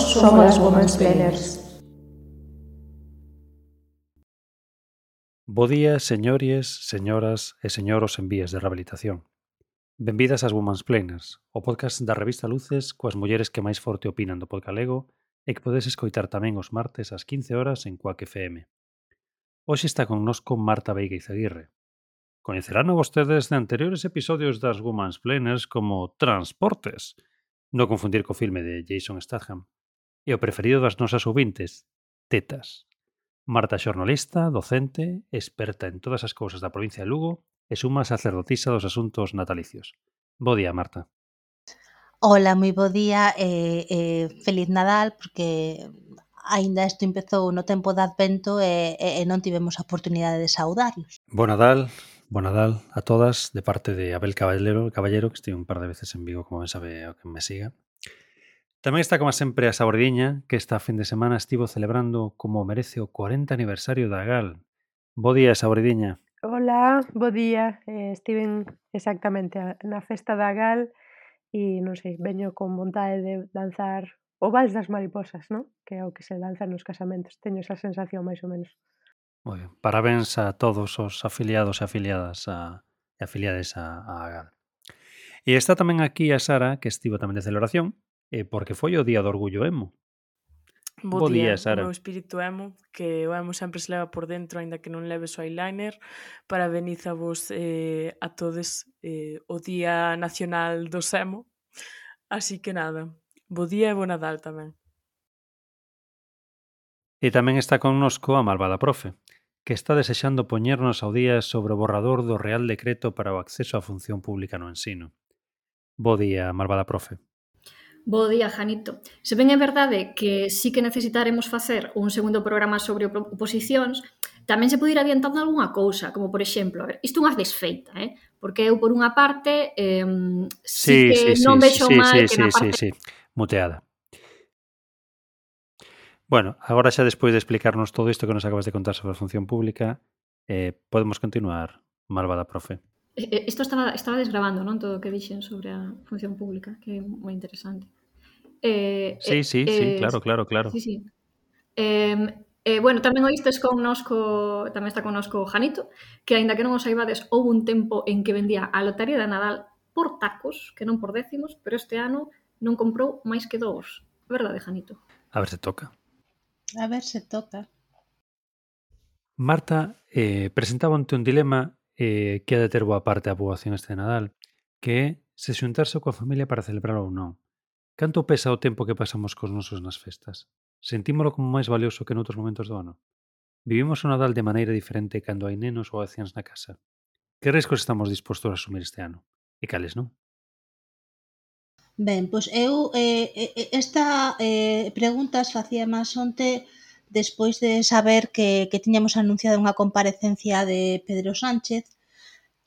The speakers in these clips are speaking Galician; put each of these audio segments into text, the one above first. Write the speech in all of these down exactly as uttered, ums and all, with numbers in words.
somos as Womansplainers. Bo día, señores, señoras e señoros en vías de rehabilitación. Benvidas ás Womansplainers, o podcast da revista Luces coas mulleres que máis forte opinan do podgalego e que podes escoitar tamén os martes ás quince horas en Quack F M. Hoxe está connosco Marta Veiga Izaguirre. Coñecerán vostedes de anteriores episodios das Womansplainers como Transportes, non confundir co filme de Jason Statham, e o preferido das nosas ouvintes, Tetas. Marta xornalista, docente, experta en todas as cousas da provincia de Lugo e suma sacerdotisa dos asuntos natalicios. Bo día, Marta. Hola, moi bo día e, e feliz Nadal, porque aínda isto empezou no tempo de Advento e, e, e non tivemos a oportunidade de saudarlos. Bo Nadal, bo Nadal a todas, de parte de Abel Caballero, Caballero que estive un par de veces en Vigo, como ben sabe o que me siga. Tamén está, como sempre, a Sabordiña, que esta fin de semana estivo celebrando como merece o cuarenta aniversario da Gal. Bo día, Sabordiña. Hola, bo día. Eh, estiven exactamente a, na festa da Gal e, non sei, veño con vontade de danzar o Vals das Mariposas, non? Que é o que se danza nos casamentos. Teño esa sensación, máis ou menos. Moi ben. Parabéns a todos os afiliados e afiliadas a, e afiliades a, a Gal. E está tamén aquí a Sara, que estivo tamén de celebración, eh, porque foi o día do orgullo emo. Bo, Bo día, día, Sara. o meu espírito emo, que o emo sempre se leva por dentro, aínda que non leves o eyeliner. Parabenizavos eh, a todos eh, o Día Nacional dos Emo. Así que nada, bo día e bo Nadal tamén. E tamén está connosco a malvada profe, que está desexando poñernos ao día sobre o borrador do Real Decreto para o acceso á función pública no ensino. Bo día, malvada profe. Bo día, Janito. Se ben é verdade que sí que necesitaremos facer un segundo programa sobre oposicións, tamén se pode ir adiantando algunha cousa, como por exemplo, a ver, isto é unha desfeita, eh? Porque eu por unha parte eh, sí, sí que sí, non sí, vexo sí, mal sí, que sí, na parte... sí, sí, muteada. Bueno, agora xa despois de explicarnos todo isto que nos acabas de contar sobre a función pública, eh, podemos continuar, malvada profe. Isto estaba, estaba desgravando, non? Todo o que dixen sobre a función pública, que é moi interesante. Eh, Sí, eh, sí, eh, sí, claro, claro, claro. Sí, sí. Eh, eh, bueno, tamén oístes connosco, tamén está connosco Janito, que aínda que non o saibades, houve un tempo en que vendía a lotaría de Nadal por tacos, que non por décimos, pero este ano non comprou máis que dous. Verdade, Janito? A ver se toca. A ver se toca. Marta eh, presentaba ante un dilema eh, que ha de ter boa parte a poboación este Nadal, que é se xuntarse coa familia para celebrar ou non. Canto pesa o tempo que pasamos cos nosos nas festas? Sentímolo como máis valioso que noutros momentos do ano? Vivimos o Nadal de maneira diferente cando hai nenos ou anciáns na casa? Que riscos estamos dispostos a asumir este ano? E cales non? Ben, pois eu eh, esta eh, preguntas facía máis onte despois de saber que, que tiñamos anunciado unha comparecencia de Pedro Sánchez,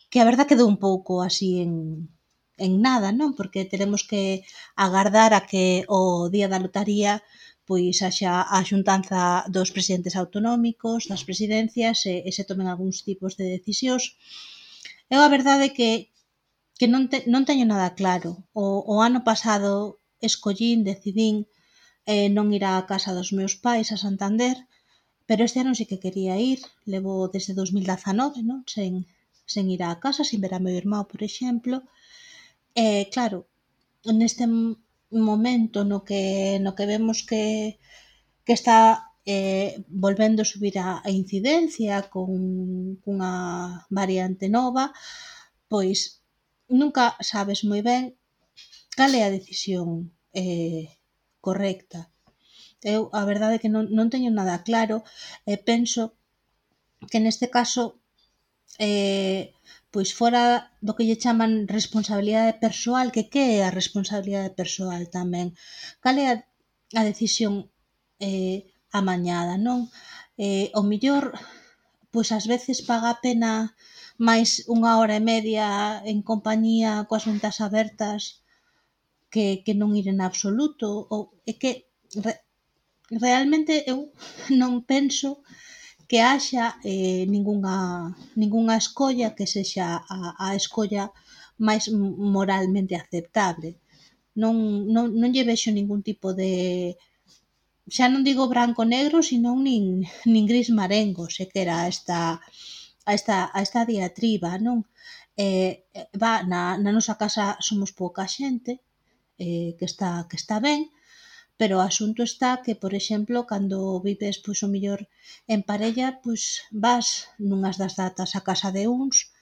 que a verdad quedou un pouco así en, en nada, non? Porque teremos que agardar a que o día da lotaría pois haxa a xuntanza dos presidentes autonómicos, das presidencias e, e se tomen algúns tipos de decisións. Eu a verdade que que non, te, non teño nada claro. O, o ano pasado escollín, decidín eh, non ir á casa dos meus pais a Santander, pero este ano sí que quería ir. Levo desde dos mil dezanove, non? Sen, sen ir á casa, sin ver a meu irmão, por exemplo. E, eh, claro, neste momento no que, no que vemos que, que está eh, volvendo a subir a, a incidencia con cunha variante nova, pois nunca sabes moi ben cal é a decisión eh, correcta. Eu, a verdade é que non, non teño nada claro e penso que neste caso eh, pois fora do que lle chaman responsabilidade persoal, que que é a responsabilidade persoal tamén? Cal é a, a decisión eh, amañada, non? Eh, o millor, pois ás veces paga a pena máis unha hora e media en compañía coas ventas abertas que, que non ir en absoluto. Ou é que re, realmente eu non penso que haxa eh, ningunha, ningunha escolla que sexa a, a escolla máis moralmente aceptable. Non, non, non lle vexo ningún tipo de, xa non digo branco-negro, senón nin, nin gris marengo, se que era esta, a esta, a esta diatriba, non? Eh, va, na, na nosa casa somos pouca xente, eh, que está que está ben, pero o asunto está que, por exemplo, cando vives, pois, o mellor en parella, pois, vas nunhas das datas a casa de uns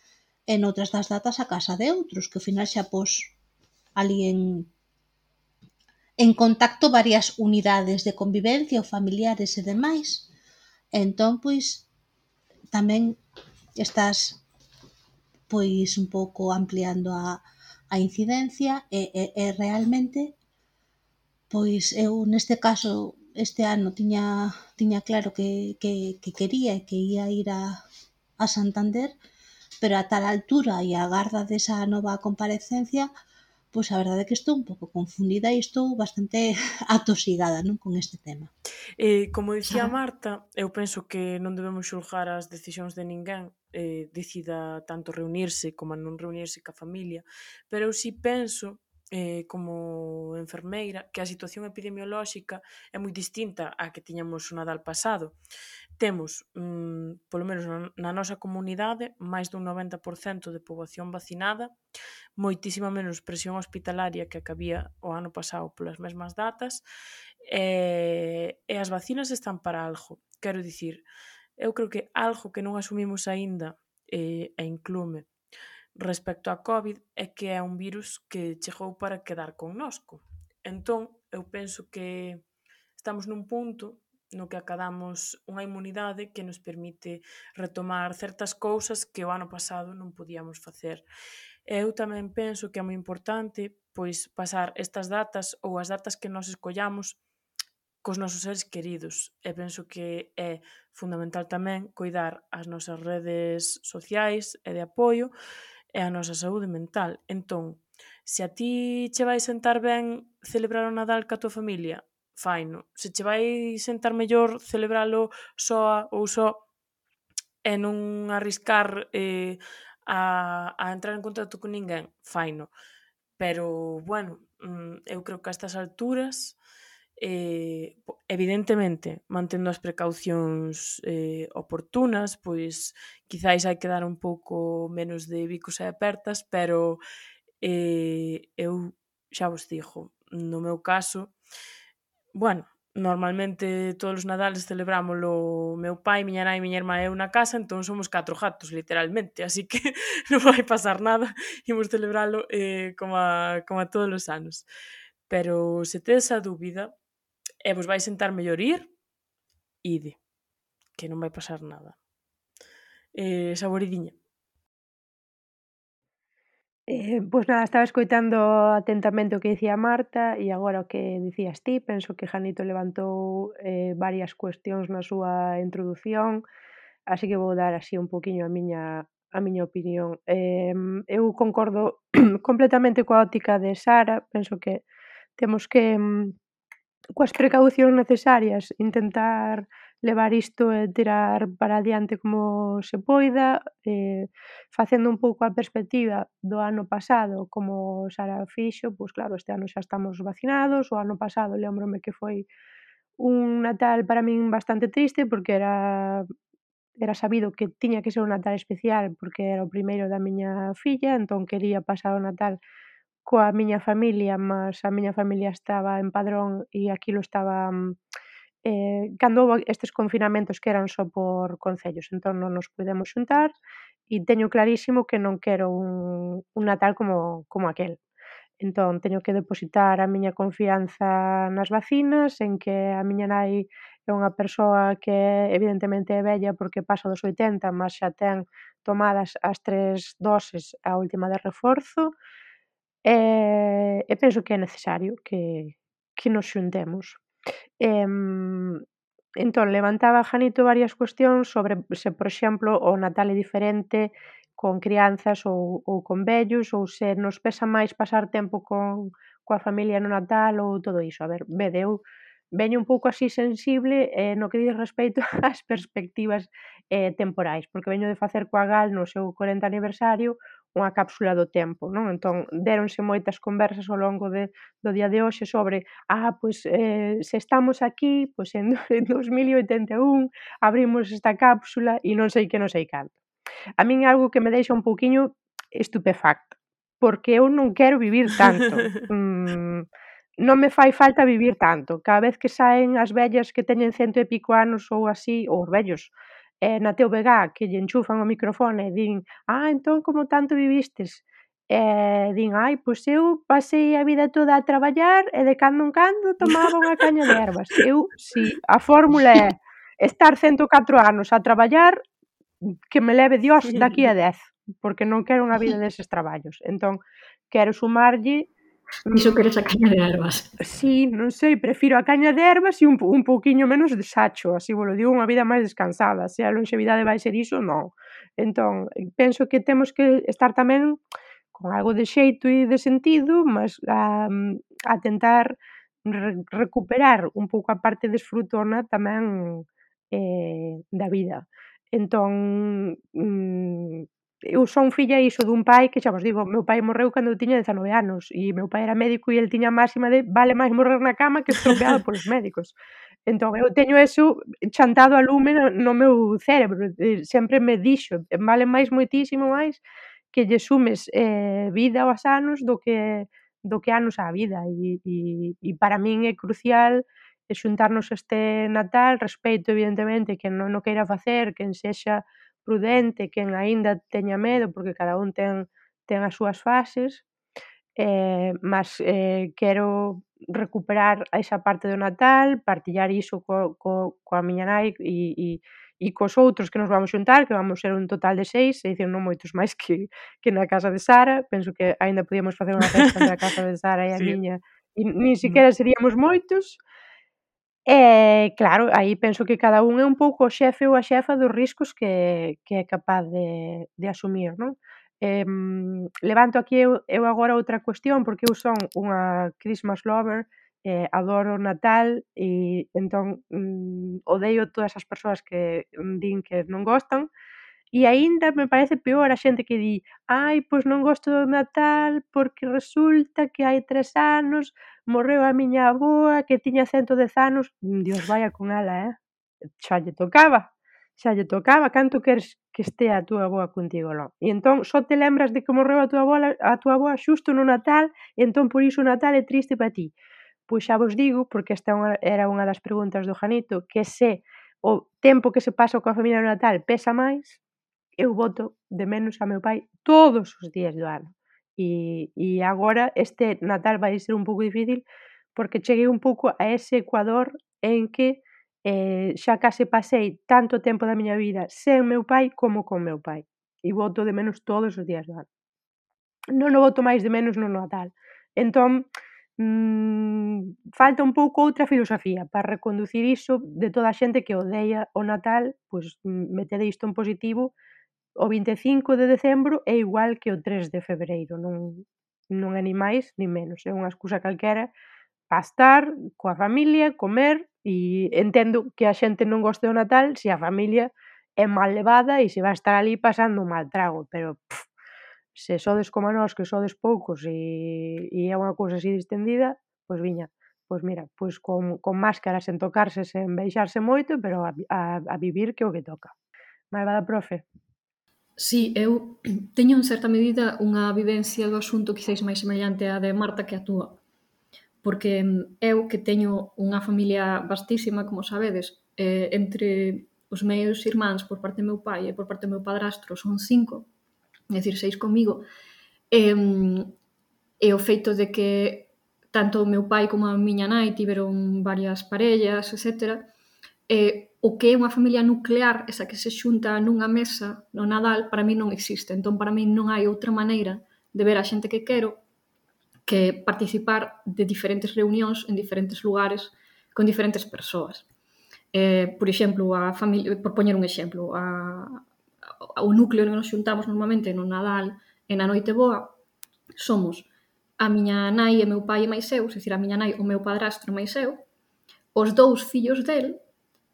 e noutras das datas a casa de outros, que ao final xa pos ali en en contacto varias unidades de convivencia ou familiares e demais. Entón, pois, tamén estás, pois, un pouco ampliando a, a incidencia e, e, e realmente, pois, eu neste caso este ano tiña, tiña claro que, que, que quería e que ia ir a, a Santander, pero a tal altura e a garda desa nova comparecencia, pois a verdade é que estou un pouco confundida e estou bastante atosigada, non, con este tema. Eh, como dicía Marta, eu penso que non debemos xulgar as decisións de ninguén, eh, decida tanto reunirse como non reunirse ca familia, pero eu si penso, eh, como enfermeira, que a situación epidemiolóxica é moi distinta á que tiñamos o Nadal pasado. Temos, mm, polo menos na, na nosa comunidade, máis dun noventa por cento de poboación vacinada, moitísima menos presión hospitalaria que a que había o ano pasado polas mesmas datas, e, e as vacinas están para algo. Quero dicir, eu creo que algo que non asumimos aínda, e, e inclúme, respecto á COVID, é que é un virus que chegou para quedar connosco. Entón, eu penso que estamos nun punto no que acadamos unha inmunidade que nos permite retomar certas cousas que o ano pasado non podíamos facer. Eu tamén penso que é moi importante, pois, pasar estas datas ou as datas que nós escollamos cos nosos seres queridos. E penso que é fundamental tamén coidar as nosas redes sociais e de apoio e a nosa saúde mental. Entón, se a ti che vai sentar ben celebrar o Nadal ca tua familia, faino. Se che vai sentar mellor celebralo soa ou só e non arriscar eh, a, a entrar en contacto con ninguén, faino. Pero, bueno, eu creo que a estas alturas, eh, evidentemente, mantendo as precaucións eh, oportunas, pois quizáis hai que dar un pouco menos de bicos e apertas, pero eh, eu xa vos digo, no meu caso, bueno, normalmente todos os Nadales celebrámolo meu pai, miña nai, miña irmá e eu na casa, entón somos catro gatos, literalmente, así que non vai pasar nada, imos celebralo eh, como, a, como a todos os anos. Pero se tedes a dúbida e vos vai sentar mellor ir, ide, que non vai pasar nada. Eh, Saboridiña. Eh, pois nada, estaba escoitando atentamente o que dicía Marta e agora o que dicías ti, penso que Janito levantou eh, varias cuestións na súa introdución, así que vou dar así un poquinho a miña a miña opinión. Eh, eu concordo completamente coa óptica de Sara, penso que temos que coas precaucións necesarias intentar levar isto e tirar para adiante como se poida, eh, facendo un pouco a perspectiva do ano pasado, como Sara fixo, pois claro, este ano xa estamos vacinados, o ano pasado lémbrome que foi un Natal para min bastante triste porque era era sabido que tiña que ser un Natal especial porque era o primeiro da miña filla, entón quería pasar o Natal coa miña familia, mas a miña familia estaba en Padrón e aquilo estaba eh, cando houbo estes confinamentos que eran só por concellos, entón non nos puidemos xuntar e teño clarísimo que non quero un, un Natal como, como aquel. Entón, teño que depositar a miña confianza nas vacinas, en que a miña nai é unha persoa que evidentemente é vella porque pasa dos oitenta, mas xa ten tomadas as tres doses, a última de reforzo, e, e penso que é necesario que, que nos xuntemos. E, entón, levantaba Janito varias cuestións sobre se, por exemplo, o Natal é diferente con crianzas ou, ou con vellos, ou se nos pesa máis pasar tempo con, coa familia no Natal ou todo iso. A ver, vede, eu veño un pouco así sensible eh, no que diz respecto ás perspectivas eh, temporais, porque veño de facer coa Gal no seu corenta aniversario unha cápsula do tempo, non? Entón, déronse moitas conversas ao longo de, do día de hoxe sobre, ah, pois, eh, se estamos aquí, pois en, en dos mil oitenta e un abrimos esta cápsula e non sei que non sei canto. A min é algo que me deixa un pouquiño estupefacta, porque eu non quero vivir tanto. Mm, non me fai falta vivir tanto. Cada vez que saen as vellas que teñen cento e pico anos ou así, ou os vellos, eh, na T V G que lle enchufan o microfone e din: "Ah, entón como tanto vivistes?" E din: "Ai, pois eu pasei a vida toda a traballar e de cando en cando tomaba unha caña de ervas." Eu, si a fórmula é estar cento e catro anos a traballar, que me leve Dios daqui a dez, porque non quero unha vida deses traballos. Entón, quero sumarlle Iso queres a caña de ervas. Si, non sei, prefiro a caña de ervas e un, un pouquiño menos de sacho, así vos lo digo, unha vida máis descansada. Se a lonxevidade vai ser iso, non. Entón, penso que temos que estar tamén con algo de xeito e de sentido, mas a, a tentar re, recuperar un pouco a parte desfrutona tamén eh, da vida. Entón, mm, eu son filla iso dun pai que xa vos digo, meu pai morreu cando eu tiña dezanove anos e meu pai era médico e el tiña a máxima de vale máis morrer na cama que estropeado polos médicos. Entón eu teño eso chantado a lume no, no meu cerebro, sempre me dixo, vale máis moitísimo máis que lle sumes eh, vida aos anos do que do que anos á vida e, e, e para min é crucial xuntarnos este Natal, respeito evidentemente quen non o queira facer, quen sexa prudente, quen aínda teña medo, porque cada un ten ten as súas fases, eh, mas eh, quero recuperar esa parte do Natal, partillar iso co co coa miña nai e e e cos outros que nos vamos xuntar, que vamos ser un total de seis, é dicir, non moitos máis que que na casa de Sara, penso que aínda podíamos facer unha festa entre a casa de Sara e a Sí. miña, e nin siquiera seríamos moitos. E claro, aí penso que cada un é un pouco o xefe ou a xefa dos riscos que que é capaz de de asumir, non? Eh, levanto aquí eu eu agora outra cuestión, porque eu son unha Christmas lover, eh, adoro o Natal e entón, mm, odeio todas as persoas que din que non gostan. E aínda me parece peor a xente que di: "Ai, pois non gosto do Natal porque resulta que hai tres anos morreu a miña avoa que tiña cento dez anos". Dios vaia con ela, eh. Xa lle tocaba, xa lle tocaba, canto queres que estea a túa avoa contigo, non? E entón só te lembras de que morreu a túa avoa a túa avoa xusto no Natal e entón por iso o Natal é triste para ti. Pois xa vos digo, porque esta é unha era unha das preguntas do Janito, que se o tempo que se pasa coa familia no Natal pesa máis, eu boto de menos a meu pai todos os días do ano. E, e agora este Natal vai ser un pouco difícil porque cheguei un pouco a ese ecuador en que eh, xa case pasei tanto tempo da miña vida sen meu pai como con meu pai. E boto de menos todos os días do ano. Non o boto máis de menos no Natal. Entón, mmm, falta un pouco outra filosofía para reconducir iso de toda a xente que odea o Natal, pois metede isto en positivo. O vinte e cinco de decembro é igual que o tres de febreiro, non non é nin máis nin menos, é unha excusa calquera para estar coa familia, comer e entendo que a xente non goste do Natal se a familia é mal levada e se vai estar ali pasando un mal trago, pero pff, se sodes como nós que sodes poucos e, e é unha cousa así distendida, pois viña, pois mira, pois con, con máscara, sen tocarse, sen beixarse moito, pero a, a, a vivir que é o que toca. Malvada profe. Sí, eu teño en certa medida unha vivencia do asunto quizáis máis semellante á de Marta que a túa. Porque eu que teño unha familia vastísima, como sabedes, eh, entre os meus irmáns por parte do meu pai e por parte do meu padrastro son cinco, é dicir, seis comigo, e, e o feito de que tanto o meu pai como a miña nai tiveron varias parellas, etcétera, e o que é unha familia nuclear, esa que se xunta nunha mesa no Nadal, para mí non existe. Entón, para mí non hai outra maneira de ver a xente que quero que participar de diferentes reunións en diferentes lugares con diferentes persoas. Eh, por exemplo, a familia, por poñer un exemplo, a, a, o núcleo que nos xuntamos normalmente no Nadal e na Noite Boa somos a miña nai e meu pai e máis eu, é dicir, a miña nai, o meu padrastro e máis eu, os dous fillos del,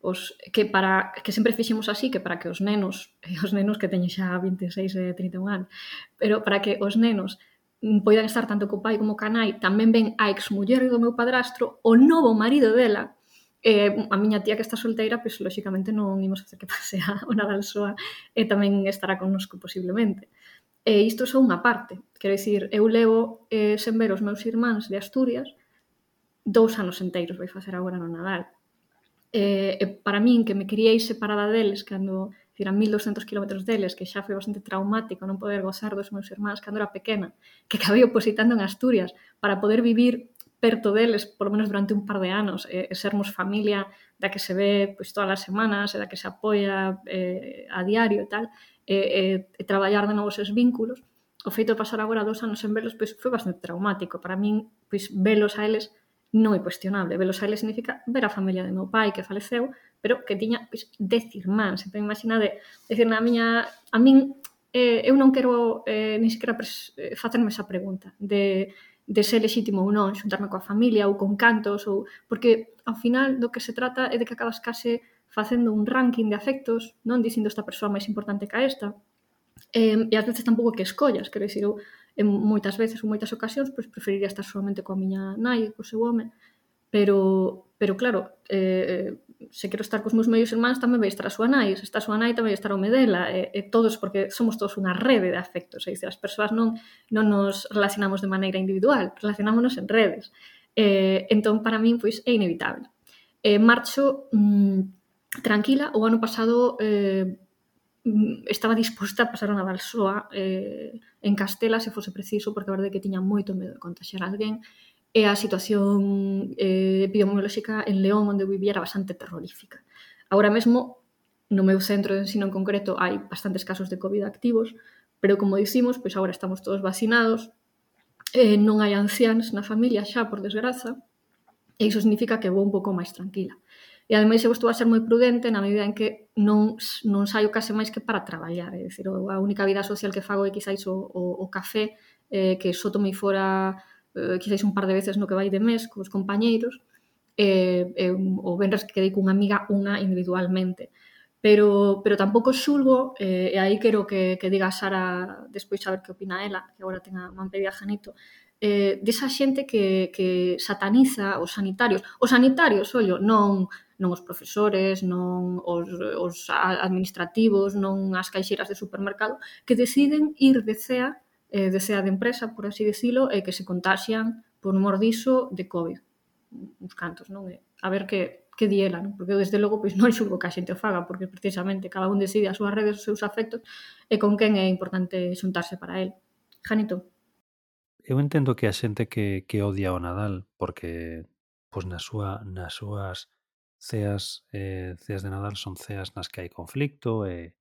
os, que para que sempre fixemos así, que para que os nenos, e os nenos que teñen xa vinte e seis e trinta e un anos, pero para que os nenos poidan estar tanto co pai como ca nai, tamén ven a exmuller do meu padrastro, o novo marido dela, eh, a miña tía que está solteira, pois, lóxicamente, non imos facer que pase a o Nadal soa, e tamén estará connosco, posiblemente. E isto é só unha parte, quero dicir, eu levo eh, sen ver os meus irmáns de Asturias dous anos enteiros, vai facer agora no Nadal. E, e para min, que me criei separada deles, cando a mil douscentos kilómetros deles, que xa foi bastante traumático non poder gozar dos meus irmáns cando era pequena, que acabei opositando en Asturias para poder vivir perto deles, polo menos durante un par de anos, e, e sermos familia da que se ve pois, todas as semanas, e da que se apoia eh, a diario e tal, e, e, e traballar de novos esos vínculos, o feito de pasar agora dous anos en velos pois, foi bastante traumático. Para min, pois, velos a eles non é cuestionable. Velos a eles significa ver a familia de meu pai que faleceu, pero que tiña pois, dez irmáns. Entón, imaginade, decir, na miña... A min, eh, eu non quero eh, ni siquiera pres, eh, facerme esa pregunta de, de ser legítimo ou non, xuntarme coa familia ou con cantos, ou porque ao final do que se trata é de que acabas case facendo un ranking de afectos, non dicindo esta persoa máis importante que a esta, eh, e ás veces tampouco que escollas, quero dicir, eu en moitas veces ou moitas ocasións pois preferiría estar solamente coa miña nai e co seu home, pero, pero claro, eh, se quero estar cos meus medios irmáns tamén vai estar a súa nai, se está a súa nai tamén vai estar o home dela, e, e todos, porque somos todos unha rede de afectos, é dicir, as persoas non, non nos relacionamos de maneira individual, relacionámonos en redes. Eh, entón, para min, pois, é inevitable. Eh, marcho mmm, tranquila, o ano pasado eh, estaba disposta a pasar a Nadal soa eh, en Castela, se fose preciso, porque a verdade é que tiña moito medo de contagiar a alguén, e a situación eh, epidemiolóxica en León, onde eu vivía, era bastante terrorífica. Agora mesmo, no meu centro de ensino en concreto, hai bastantes casos de COVID activos, pero como dicimos, pois agora estamos todos vacinados, eh, non hai anciáns na familia xa, por desgraza, e iso significa que vou un pouco máis tranquila. E ademais eu estou a ser moi prudente na medida en que non, non saio case máis que para traballar, é dicir, a única vida social que fago é quizáis o, o, o café, eh, que só tomei fora eh, quizáis un par de veces no que vai de mes cos compañeiros, e, eh, o venres que quedei cunha amiga unha individualmente. Pero, pero tampouco xulgo, eh, e aí quero que, que diga a Sara despois a ver que opina ela, que agora ten a man pedida Janito, eh, desa xente que, que sataniza os sanitarios. Os sanitarios, ollo, non... non os profesores, non os, os administrativos, non as caixeiras de supermercado, que deciden ir de cea, eh, de cea de empresa, por así decirlo, e que se contaxian por mor diso de COVID. Uns cantos, non? A ver que, que di ela, non? Porque desde logo pois, non xulgo que a xente o faga, porque precisamente cada un decide as súas redes, os seus afectos, e con quen é importante xuntarse para el. Janito. Eu entendo que a xente que, que odia o Nadal, porque pois na súa, nas súas ceas, eh, ceas de Nadal son ceas nas que hai conflicto e,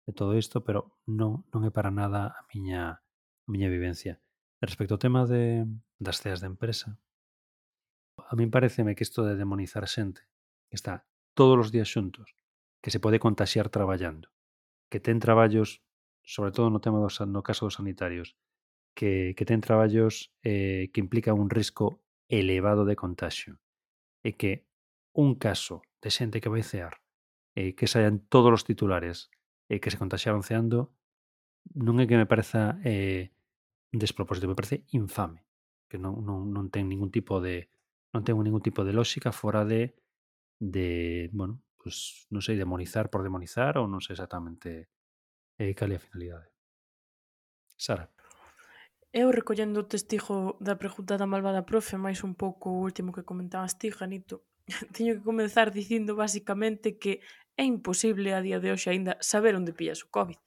e todo isto, pero non, non é para nada a miña, a miña vivencia. Respecto ao tema de, das ceas de empresa, a min pareceme que isto de demonizar xente que está todos os días xuntos, que se pode contaxiar traballando, que ten traballos, sobre todo no tema dos, no caso dos sanitarios, que, que ten traballos eh, que implican un risco elevado de contagio, e que un caso de xente que vai cear, eh, que saian todos os titulares e eh, que se contaxiaron ceando, non é que me pareza eh, despropósito, me parece infame, que non, non, non ten ningún tipo de non ten ningún tipo de lógica fora de de, bueno, pues non sei, demonizar por demonizar ou non sei exactamente eh, cal é a finalidade. Sara. Eu, recollendo o testigo da pregunta da malvada profe, máis un pouco o último que comentabas ti, Janito, teño que comenzar dicindo basicamente que é imposible a día de hoxe aínda saber onde pillas o COVID.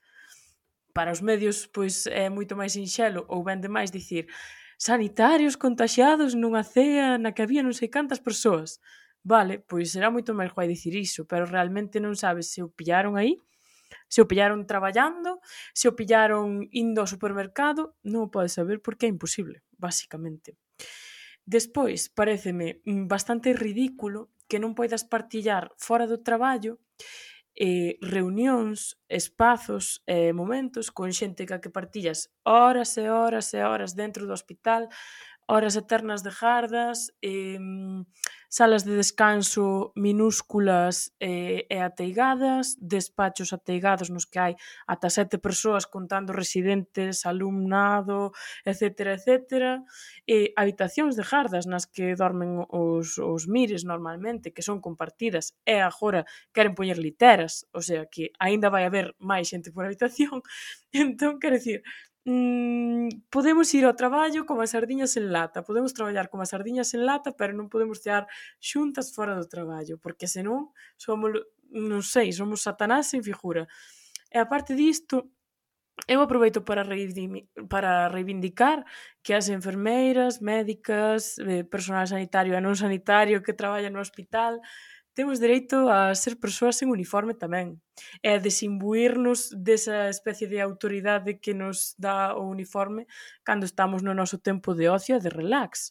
Para os medios, pois, é moito máis sinxelo ou ben demais dicir sanitarios contaxiados nunha cea na que había non sei cantas persoas. Vale, pois será moito máis guai dicir iso, pero realmente non sabes se o pillaron aí, se o pillaron traballando, se o pillaron indo ao supermercado, non o podes saber porque é imposible, basicamente. Despois, paréceme bastante ridículo que non poidas partillar fora do traballo eh, reunións, espazos e eh, momentos con xente ca que partillas horas e horas e horas dentro do hospital, horas eternas de gardas, eh, salas de descanso minúsculas eh, e ateigadas, despachos ateigados nos que hai ata sete persoas contando residentes, alumnado, etcétera, etcétera, e habitacións de gardas nas que dormen os, os mires normalmente, que son compartidas, e agora queren poñer literas, o sea que aínda vai haber máis xente por habitación. Entón, quero dicir, mm, podemos ir ao traballo como as sardiñas en lata, podemos traballar como as sardiñas en lata, pero non podemos cear xuntas fora do traballo, porque senón somos, non sei, somos Satanás en figura. E aparte disto, eu aproveito para, reivindi- para reivindicar que as enfermeiras, médicas, eh, personal sanitario e non sanitario que traballa no hospital temos dereito a ser persoas en uniforme tamén e a desimbuirnos desa especie de autoridade que nos dá o uniforme cando estamos no noso tempo de ocio e de relax.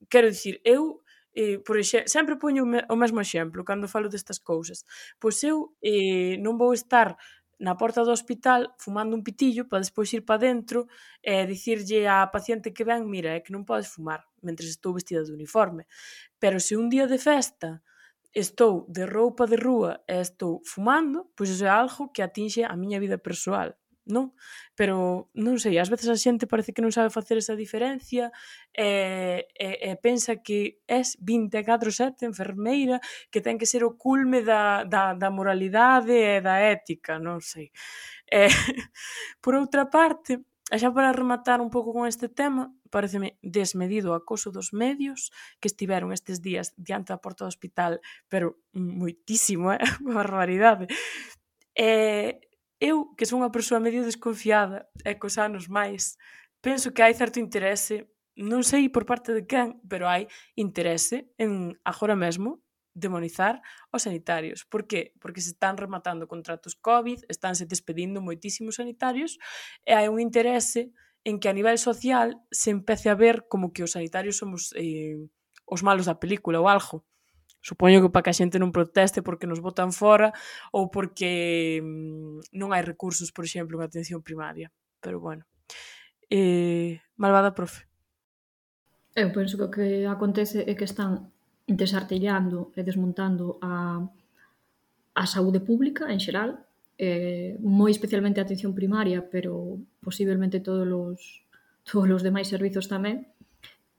Quero dicir, eu eh, por exe- sempre poño o, me- o mesmo exemplo cando falo destas cousas. Pois eu eh, non vou estar na porta do hospital fumando un pitillo para despois ir para dentro e dicirlle á paciente que ven, mira, é que non podes fumar mentres estou vestida de uniforme. Pero se un día de festa estou de roupa de rúa e estou fumando, pois iso é algo que atinxe a miña vida persoal, non? Pero, non sei, ás veces a xente parece que non sabe facer esa diferencia e, e, e pensa que és vinte e catro sete enfermeira, que ten que ser o culme da, da, da moralidade e da ética, non sei. E, por outra parte, e xa para rematar un pouco con este tema, pareceme desmedido o acoso dos medios que estiveron estes días diante da porta do hospital, pero moitísimo, eh? Barbaridade. E eu, que son unha persoa medio desconfiada e cos anos máis, penso que hai certo interese, non sei por parte de quen, pero hai interese en agora mesmo demonizar os sanitarios. Por qué? Porque se están rematando contratos COVID, estánse despedindo moitísimos sanitarios e hai un interese en que a nivel social se empece a ver como que os sanitarios somos eh, os malos da película ou algo. Supoño que para que a xente non proteste porque nos botan fora ou porque mm, non hai recursos, por exemplo, en atención primaria. Pero bueno. Eh, malvada profe. Eu penso que o que acontece é que están desartellando e desmontando a, a saúde pública en xeral, eh, moi especialmente a atención primaria, pero posiblemente todos os, todos os demais servizos tamén.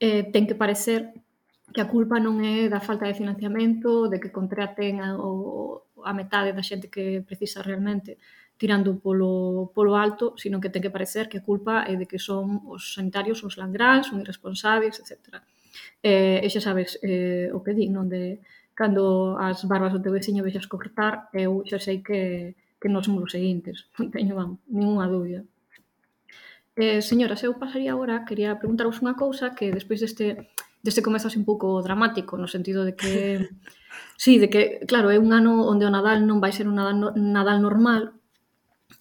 Eh, ten que parecer que a culpa non é da falta de financiamento, de que contraten a, o, a metade da xente que precisa realmente tirando polo, polo alto, sino que ten que parecer que a culpa é de que son os sanitarios uns langráns, son irresponsables, etcétera. E, e xa sabes eh, o que di, non? De cando as barbas do teu veciño vexas cortar, eu xa sei que, que non somos os seguintes, non teño, vamos, ninguna dúbida. Eh, señoras, eu pasaría agora, quería preguntaros unha cousa que despois deste deste comezo así un pouco dramático, no sentido de que sí, de que, claro, é un ano onde o Nadal non vai ser un Nadal, Nadal normal.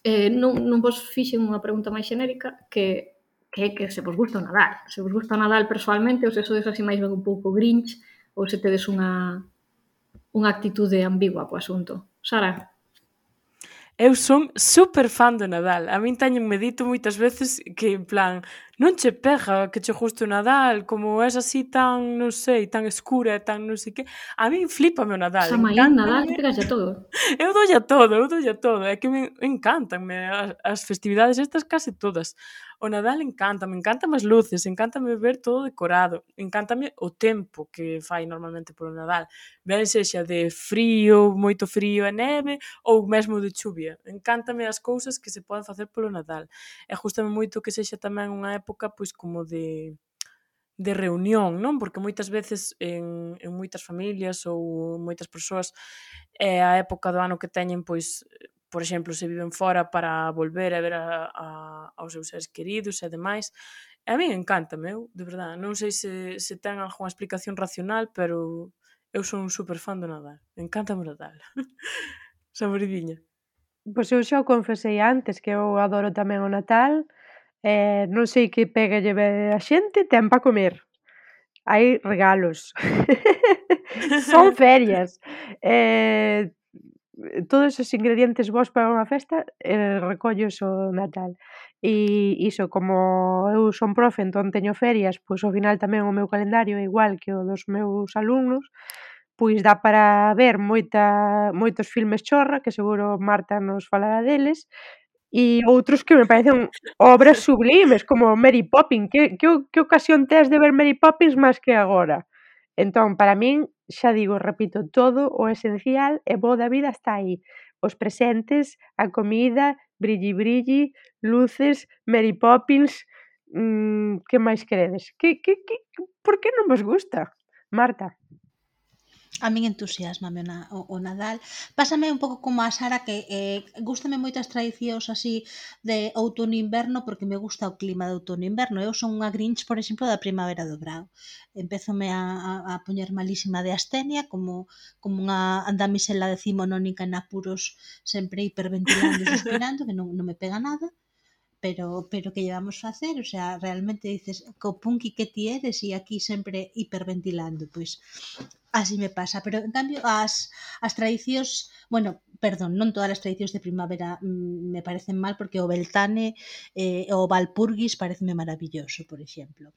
Eh, non, non vos fixen unha pregunta máis xenérica que que que se vos gusta o Nadal. Se vos gusta o Nadal persoalmente ou se sodes así máis ben un pouco grinch ou se tedes unha unha actitude ambigua co asunto. Sara? Eu son super fan do Nadal. A min teñen medito moitas veces que, en plan, non che pega que che guste o Nadal, como és así tan, non sei, tan escura e tan non sei que. A min flipame o Nadal. Samaín, Nadal, Encántame. pegas a todo. Eu doulle a todo, eu doulle a todo. É que me encantanme as, as festividades estas case todas. O Nadal encántame, encántame as luces, encántame ver todo decorado, encántame o tempo que fai normalmente polo Nadal. Ben sexa de frío, moito frío e neve, ou mesmo de chuvia. Encántame as cousas que se poden facer polo Nadal. E gústame moito que sexa tamén unha época pois como de de reunión, non? Porque moitas veces en, en moitas familias ou moitas persoas é a época do ano que teñen, pois, por exemplo, se viven fora para volver a ver a, a, aos seus seres queridos e demais. E a mí encántame, eu, de verdade. Non sei se, se ten algunha explicación racional, pero eu son un super fan do Nadal. Encántame o Nadal. Saboridinha. Pois eu xa o confesei antes que eu adoro tamén o Natal, e non sei que pega lle ve a xente, ten pa comer. Hai regalos. Son ferias. Eh, todos os ingredientes bons para unha festa eh, recollos o Natal. E iso, como eu son profe, entón teño ferias, pois ao final tamén o meu calendario é igual que o dos meus alumnos, pois dá para ver moita moitos filmes chorra, que seguro Marta nos falará deles, e outros que me parecen obras sublimes, como Mary Poppins. Que que que ocasión tes de ver Mary Poppins máis que agora? Entón, para min, xa digo, repito, todo o esencial e bo da vida está aí. Os presentes, a comida, brilli brilli, luces, Mary Poppins, mmm, que máis queredes? Que que que por que non vos gusta, Marta? A min entusiasmame o, na, o, o Nadal. Pásame un pouco como a Sara, que eh, gústame moito as tradicións así de outono e inverno, porque me gusta o clima de outono e inverno. Eu son unha Grinch, por exemplo, da primavera do brao. Empezome a, a, a poñer malísima de astenia, como, como unha damisela decimonónica en apuros, sempre hiperventilando e suspirando, que non, non me pega nada. Pero, pero que llevamos facer, o sea, realmente dices, co punky que ti eres e aquí sempre hiperventilando, pois así me pasa, pero en cambio as, as tradicións, bueno, perdón, non todas as tradicións de primavera mm, me parecen mal, porque o Beltane eh, o Valpurgis pareceme maravilloso, por exemplo.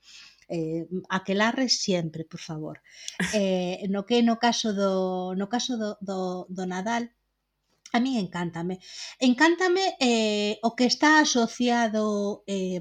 Eh, aquelarre sempre, por favor. Eh, no que no caso do no caso do, do, do Nadal, a min encántame. Encántame eh, o que está asociado eh,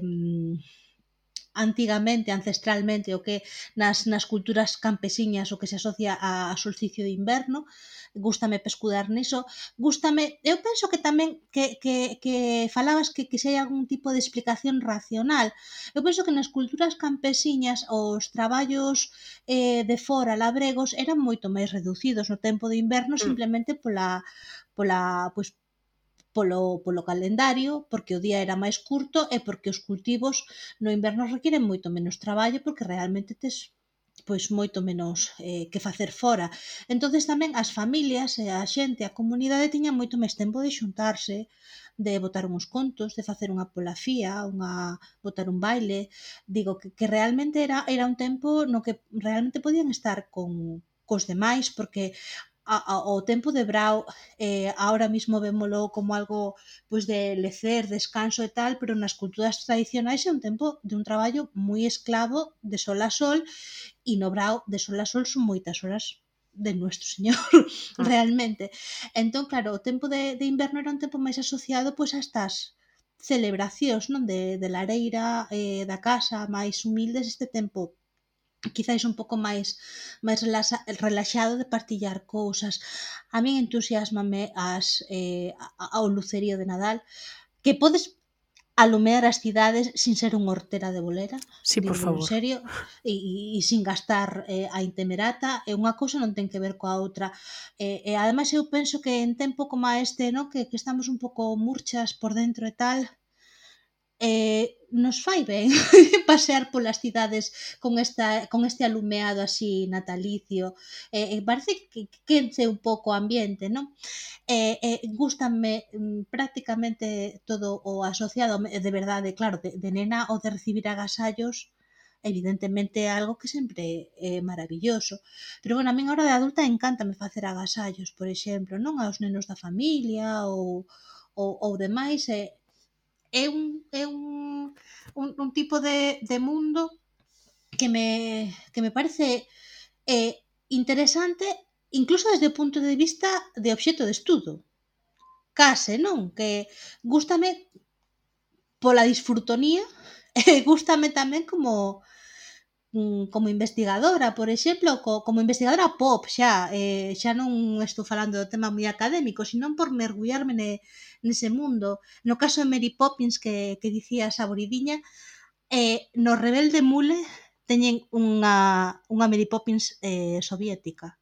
antigamente, ancestralmente, o que nas, nas culturas campesiñas o que se asocia a, a solsticio de inverno. Gústame pescudar niso. Gústame, eu penso que tamén que, que, que falabas que, que se hai algún tipo de explicación racional. Eu penso que nas culturas campesiñas os traballos eh, de fora labregos eran moito máis reducidos no tempo de inverno, simplemente pola pola pois polo, polo calendario, porque o día era máis curto e porque os cultivos no inverno requiren moito menos traballo, porque realmente tes pois moito menos eh, que facer fora. Entonces tamén as familias e a xente, a comunidade tiña moito máis tempo de xuntarse, de botar uns contos, de facer unha polafía, unha botar un baile. Digo que, que realmente era, era un tempo no que realmente podían estar con cos demais, porque a, a, o tempo de brao eh, ahora mismo vémolo como algo pois de lecer, descanso e tal, pero nas culturas tradicionais é un tempo de un traballo moi esclavo de sol a sol, e no brao de sol a sol son moitas horas de Nuestro Señor, realmente. Entón, claro, o tempo de, de inverno era un tempo máis asociado pois a estas celebracións, non, de, de lareira, eh, da casa, máis humildes, este tempo quizáis un pouco máis máis relaxa, relaxado de partillar cousas. A min entusiasmame as eh, ao lucerío de Nadal, que podes alumear as cidades sin ser unha hortera de bolera. Sí, por favor. En serio, e, e sin gastar eh, a intemerata, e unha cousa non ten que ver coa outra. E, e ademais eu penso que en tempo como este, no, que, que estamos un pouco murchas por dentro e tal, eh, nos fai ben pasear polas cidades con, esta, con este alumeado así natalicio, eh, eh, parece que quence un pouco o ambiente, non? Eh, eh, gústanme mm, prácticamente todo o asociado, de verdade, claro, de, de nena o de recibir agasallos, evidentemente é algo que sempre é maravilloso, pero bueno, a min ahora de adulta encántame facer agasallos, por exemplo, non aos nenos da familia ou, ou, ou demais, e eh, é un, é un, un, un tipo de, de mundo que me, que me parece eh, interesante, incluso desde o punto de vista de obxecto de estudo. Case, non? Que gústame pola disfrutonía e gústame tamén como como investigadora, por exemplo, co, como investigadora pop, xa, eh, xa non estou falando do tema moi académico, sino por mergullarme ne, nese mundo. No caso de Mary Poppins, que, que dicía a Saboridiña, eh, no Rebelde Mule teñen unha, unha Mary Poppins eh, soviética.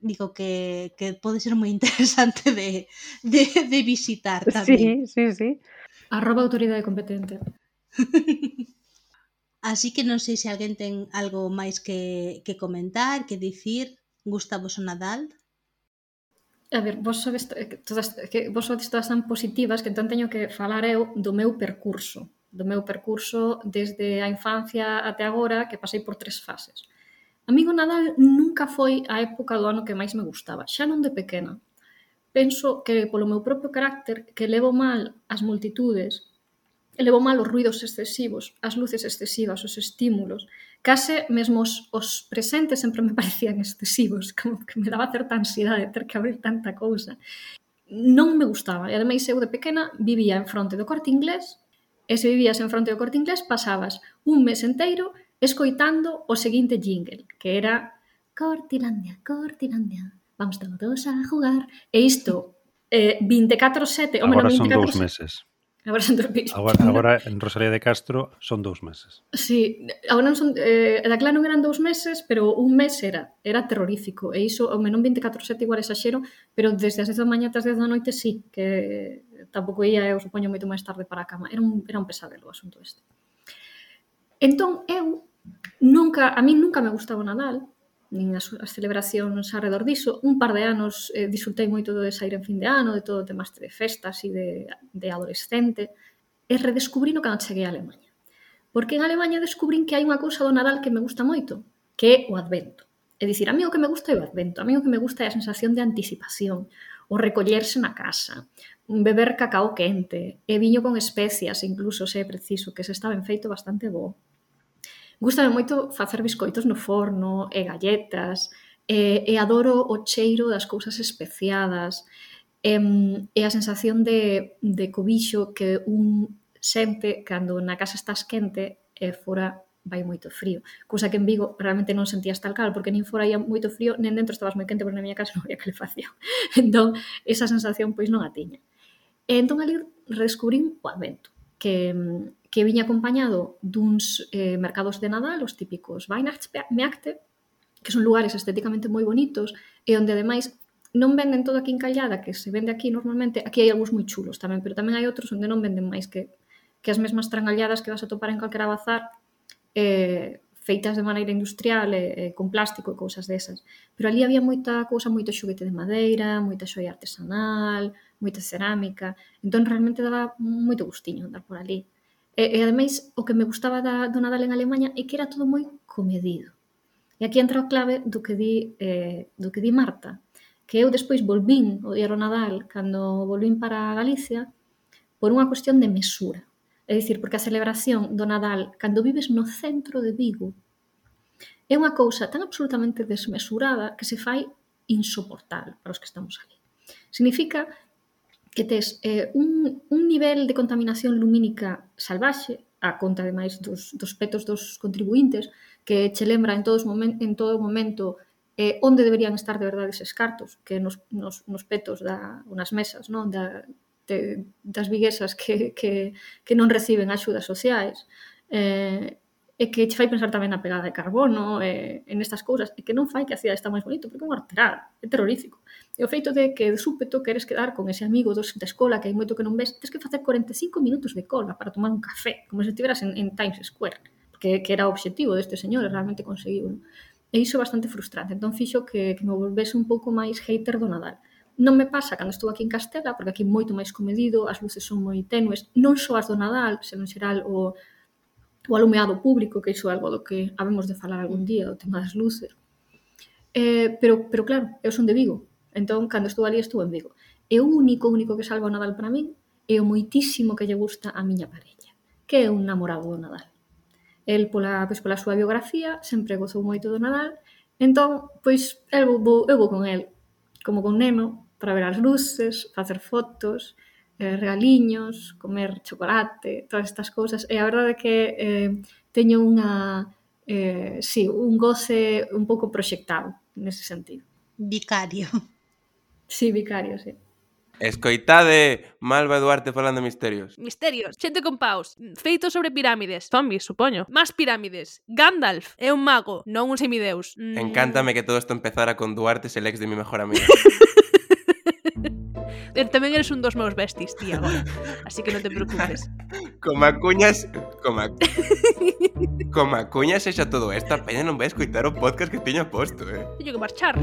Digo que, que pode ser moi interesante de, de, de visitar tamén. Sí, sí, sí. Arroba autoridade competente. Así que non sei se alguén ten algo máis que, que comentar, que dicir. Gustavos o Nadal? A ver, vos sodes, todas, que vos sodes todas tan positivas que entón teño que falar eu do meu percurso. Do meu percurso desde a infancia até agora, que pasei por tres fases. A mí o Nadal nunca foi a época do ano que máis me gustaba, xa non de pequena. Penso que polo meu propio carácter, que levo mal as multitudes, levo mal os ruidos excesivos, as luces excesivas, os estímulos, case mesmo os, os presentes sempre me parecían excesivos, como que me daba certa ansiedade ter que abrir tanta cousa. Non me gustaba, e ademais eu de pequena vivía en fronte do Corte Inglés, e se vivías en fronte do Corte Inglés pasabas un mes enteiro escoitando o seguinte jingle, que era Cortilandia, Cortilandia, vamos todos a jugar. E isto, eh, vinte e catro sete, o Agora menos son vinte e catro dous sete. meses. Agora son dous meses. Agora, agora en Rosalía de Castro son dous meses. Sí, agora non son, eh, daquela non eran dous meses, pero un mes era, era terrorífico, e iso, ao menos vinte e catro sete igual exaxero, pero desde as dez da mañá ata as dez da noite sí, que tampouco ia, eu supoño, moito máis tarde para a cama. Era un, era un pesadelo o asunto este. Entón, eu nunca, a mí nunca me gustaba o Nadal, nin as, as celebracións alrededor diso. Un par de anos eh, disfrutei moito de sair en fin de ano, de todo o tema este de festas e de, de adolescente, e redescubrino cando cheguei a Alemanha. Porque en Alemanha descubrín que hai unha cousa do Nadal que me gusta moito, que é o Advento. É dicir, a mí o que me gusta é o Advento, a mí o que me gusta é a sensación de anticipación, o recollerse na casa, beber cacao quente, e viño con especias, incluso se é preciso, que se está ben feito bastante bo. Gústame moito facer biscoitos no forno, e galletas, e, e adoro o cheiro das cousas especiadas, e, e a sensación de, de cobixo que un sente cando na casa estás quente e fora vai moito frío. Cousa que en Vigo realmente non sentías tal cal, porque nin fora ia moito frío, nen dentro estabas moi quente, porque na miña casa non había calefacción. Entón, esa sensación pois non a tiña. E entón ali redescubrín o Advento, que, que viña acompañado duns eh, mercados de Nadal, os típicos Weihnachtsmärkte, que son lugares estéticamente moi bonitos, e onde ademais non venden todo aquí en Callada, que se vende aquí normalmente, aquí hai algúns moi chulos tamén, pero tamén hai outros onde non venden máis que, que as mesmas trangalladas que vas a topar en calquera bazar, eh, feitas de maneira industrial e, e con plástico e cousas desas. Pero ali había moita cousa, moito xoguete de madeira, moita xoia artesanal, moita cerámica, entón realmente daba moito gustiño andar por ali. E, e ademais, o que me gustaba da, do Nadal en Alemanha é que era todo moi comedido. E aquí entra o clave do que di, eh, do que di Marta, que eu despois volvín o día do Nadal, cando volvín para Galicia, por unha cuestión de mesura. É dicir, porque a celebración do Nadal, cando vives no centro de Vigo, é unha cousa tan absolutamente desmesurada que se fai insoportable para os que estamos ali. Significa que tes eh, un, un nivel de contaminación lumínica salvaxe, a conta, ademais, dos, dos petos dos contribuintes, que che lembra en, todos momen, en todo momento eh, onde deberían estar de verdade eses cartos, que nos, nos, nos petos da, nas mesas, non? Da, de, das viguesas que, que, que non reciben axudas sociais, eh, e que che fai pensar tamén na pegada de carbono, e, en estas cousas, e que non fai que a cidade está máis bonito, porque é un arteral, é terrorífico. E o feito de que de súpeto queres quedar con ese amigo dos, da escola que hai moito que non ves, tens que facer cuarenta e cinco minutos de cola para tomar un café, como se estiveras en, en Times Square, que, que era o obxectivo deste señor, e realmente conseguiu. E iso é bastante frustrante, entón fixo que, que me volvese un pouco máis hater do Nadal. Non me pasa cando estou aquí en Castela, porque aquí é moito máis comedido, as luces son moi tenues, non só as do Nadal, senón en xeral o, o alumeado público, que iso é algo do que habemos de falar algún día, o tema das luces. Eh, pero, pero claro, eu son de Vigo, entón cando estou ali estou en Vigo. E o único, único que salva o Nadal para min é o moitísimo que lle gusta a miña parella, que é un namorado do Nadal. El, pola, pois, pola súa biografía, sempre gozou moito do Nadal, entón, pois, eu vou, eu vou con el, como con neno, para ver as luces, facer fotos, eh, regaliños, comer chocolate, todas estas cousas. E a verdade é que eh, teño unha, eh, sí, un goce un pouco proxectado nese sentido. Vicario. Sí, vicario, sí. Escoitade Malva Duarte falando de misterios. Misterios, xente con paus, feitos sobre pirámides, zombies, supoño, máis pirámides, Gandalf é un mago, non un semideus. Mm. Encántame que todo isto empezara con Duarte, el ex de mi mejor amiga. Tamén eres un dos meus besties, tía, agora. Así que non te preocupes. Como cuñas, como como cuñas xa todo isto, a peña non vai escoitar o podcast que tiña posto, eh. Teño que marchar.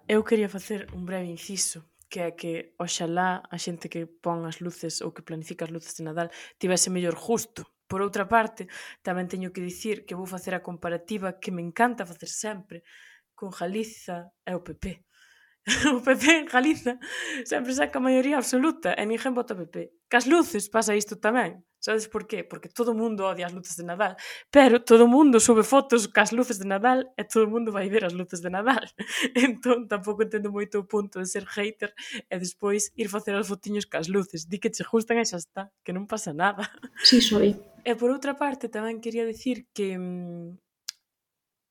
Eu quería facer un breve inciso, que é que oxalá a xente que pon as luces ou que planifica as luces de Nadal tivese mellor justo, Por outra parte, tamén teño que dicir que vou facer a comparativa que me encanta facer sempre con Galiza e o P P. O P P en Galiza sempre saca a maioría absoluta e ninguén vota P P. Cas luces pasa isto tamén. Sabes por qué? Porque todo o mundo odia as luces de Nadal, pero todo o mundo sube fotos cas luces de Nadal e todo o mundo vai ver as luces de Nadal. Entón, tampouco entendo moito o punto de ser hater e despois ir facer as fotiños cas luces. Di que che gustan e xa está, que non pasa nada. Sí, soy. E por outra parte, tamén quería dicir que mm,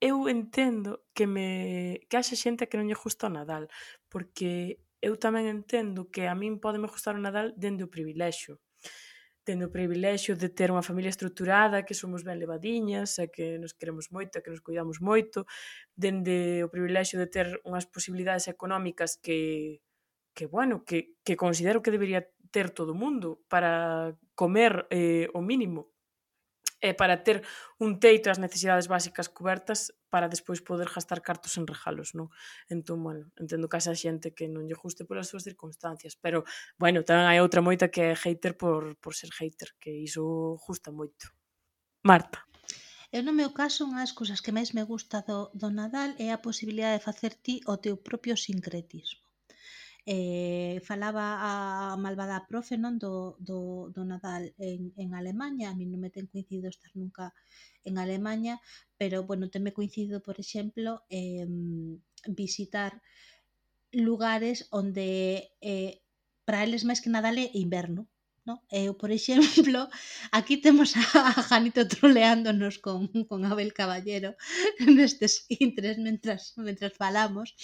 eu entendo que me que haxa xente que non lle gusta o Nadal, porque eu tamén entendo que a min pódeme gustar o Nadal dende o privilexio. Dende o privilexio de ter unha familia estruturada, que somos ben levadiñas, e que nos queremos moito, e que nos cuidamos moito, dende o privilexio de ter unhas posibilidades económicas que que, bueno, que, que considero que debería ter todo o mundo para comer eh, o mínimo e para ter un teito e as necesidades básicas cubertas para despois poder gastar cartos en regalos, non? Entón, bueno, entendo que haxa xente que non lle guste polas súas circunstancias, pero, bueno, tamén hai outra moita que é hater por, por ser hater, que iso gusta moito. Marta. Eu no meu caso, unha das cousas que máis me gusta do, do Nadal é a posibilidade de facer ti o teu propio sincretismo. Eh, falaba a malvada profe, non, do, do, do Nadal en, en Alemaña. A mí non me ten coincidido estar nunca en Alemaña, pero, bueno, tenme coincidido, por exemplo, eh, visitar lugares onde eh, para eles máis que Nadal é inverno, no? Eu, por exemplo, aquí temos a, a Janito troleándonos con, con Abel Caballero nestes intres mentras, mentras falamos.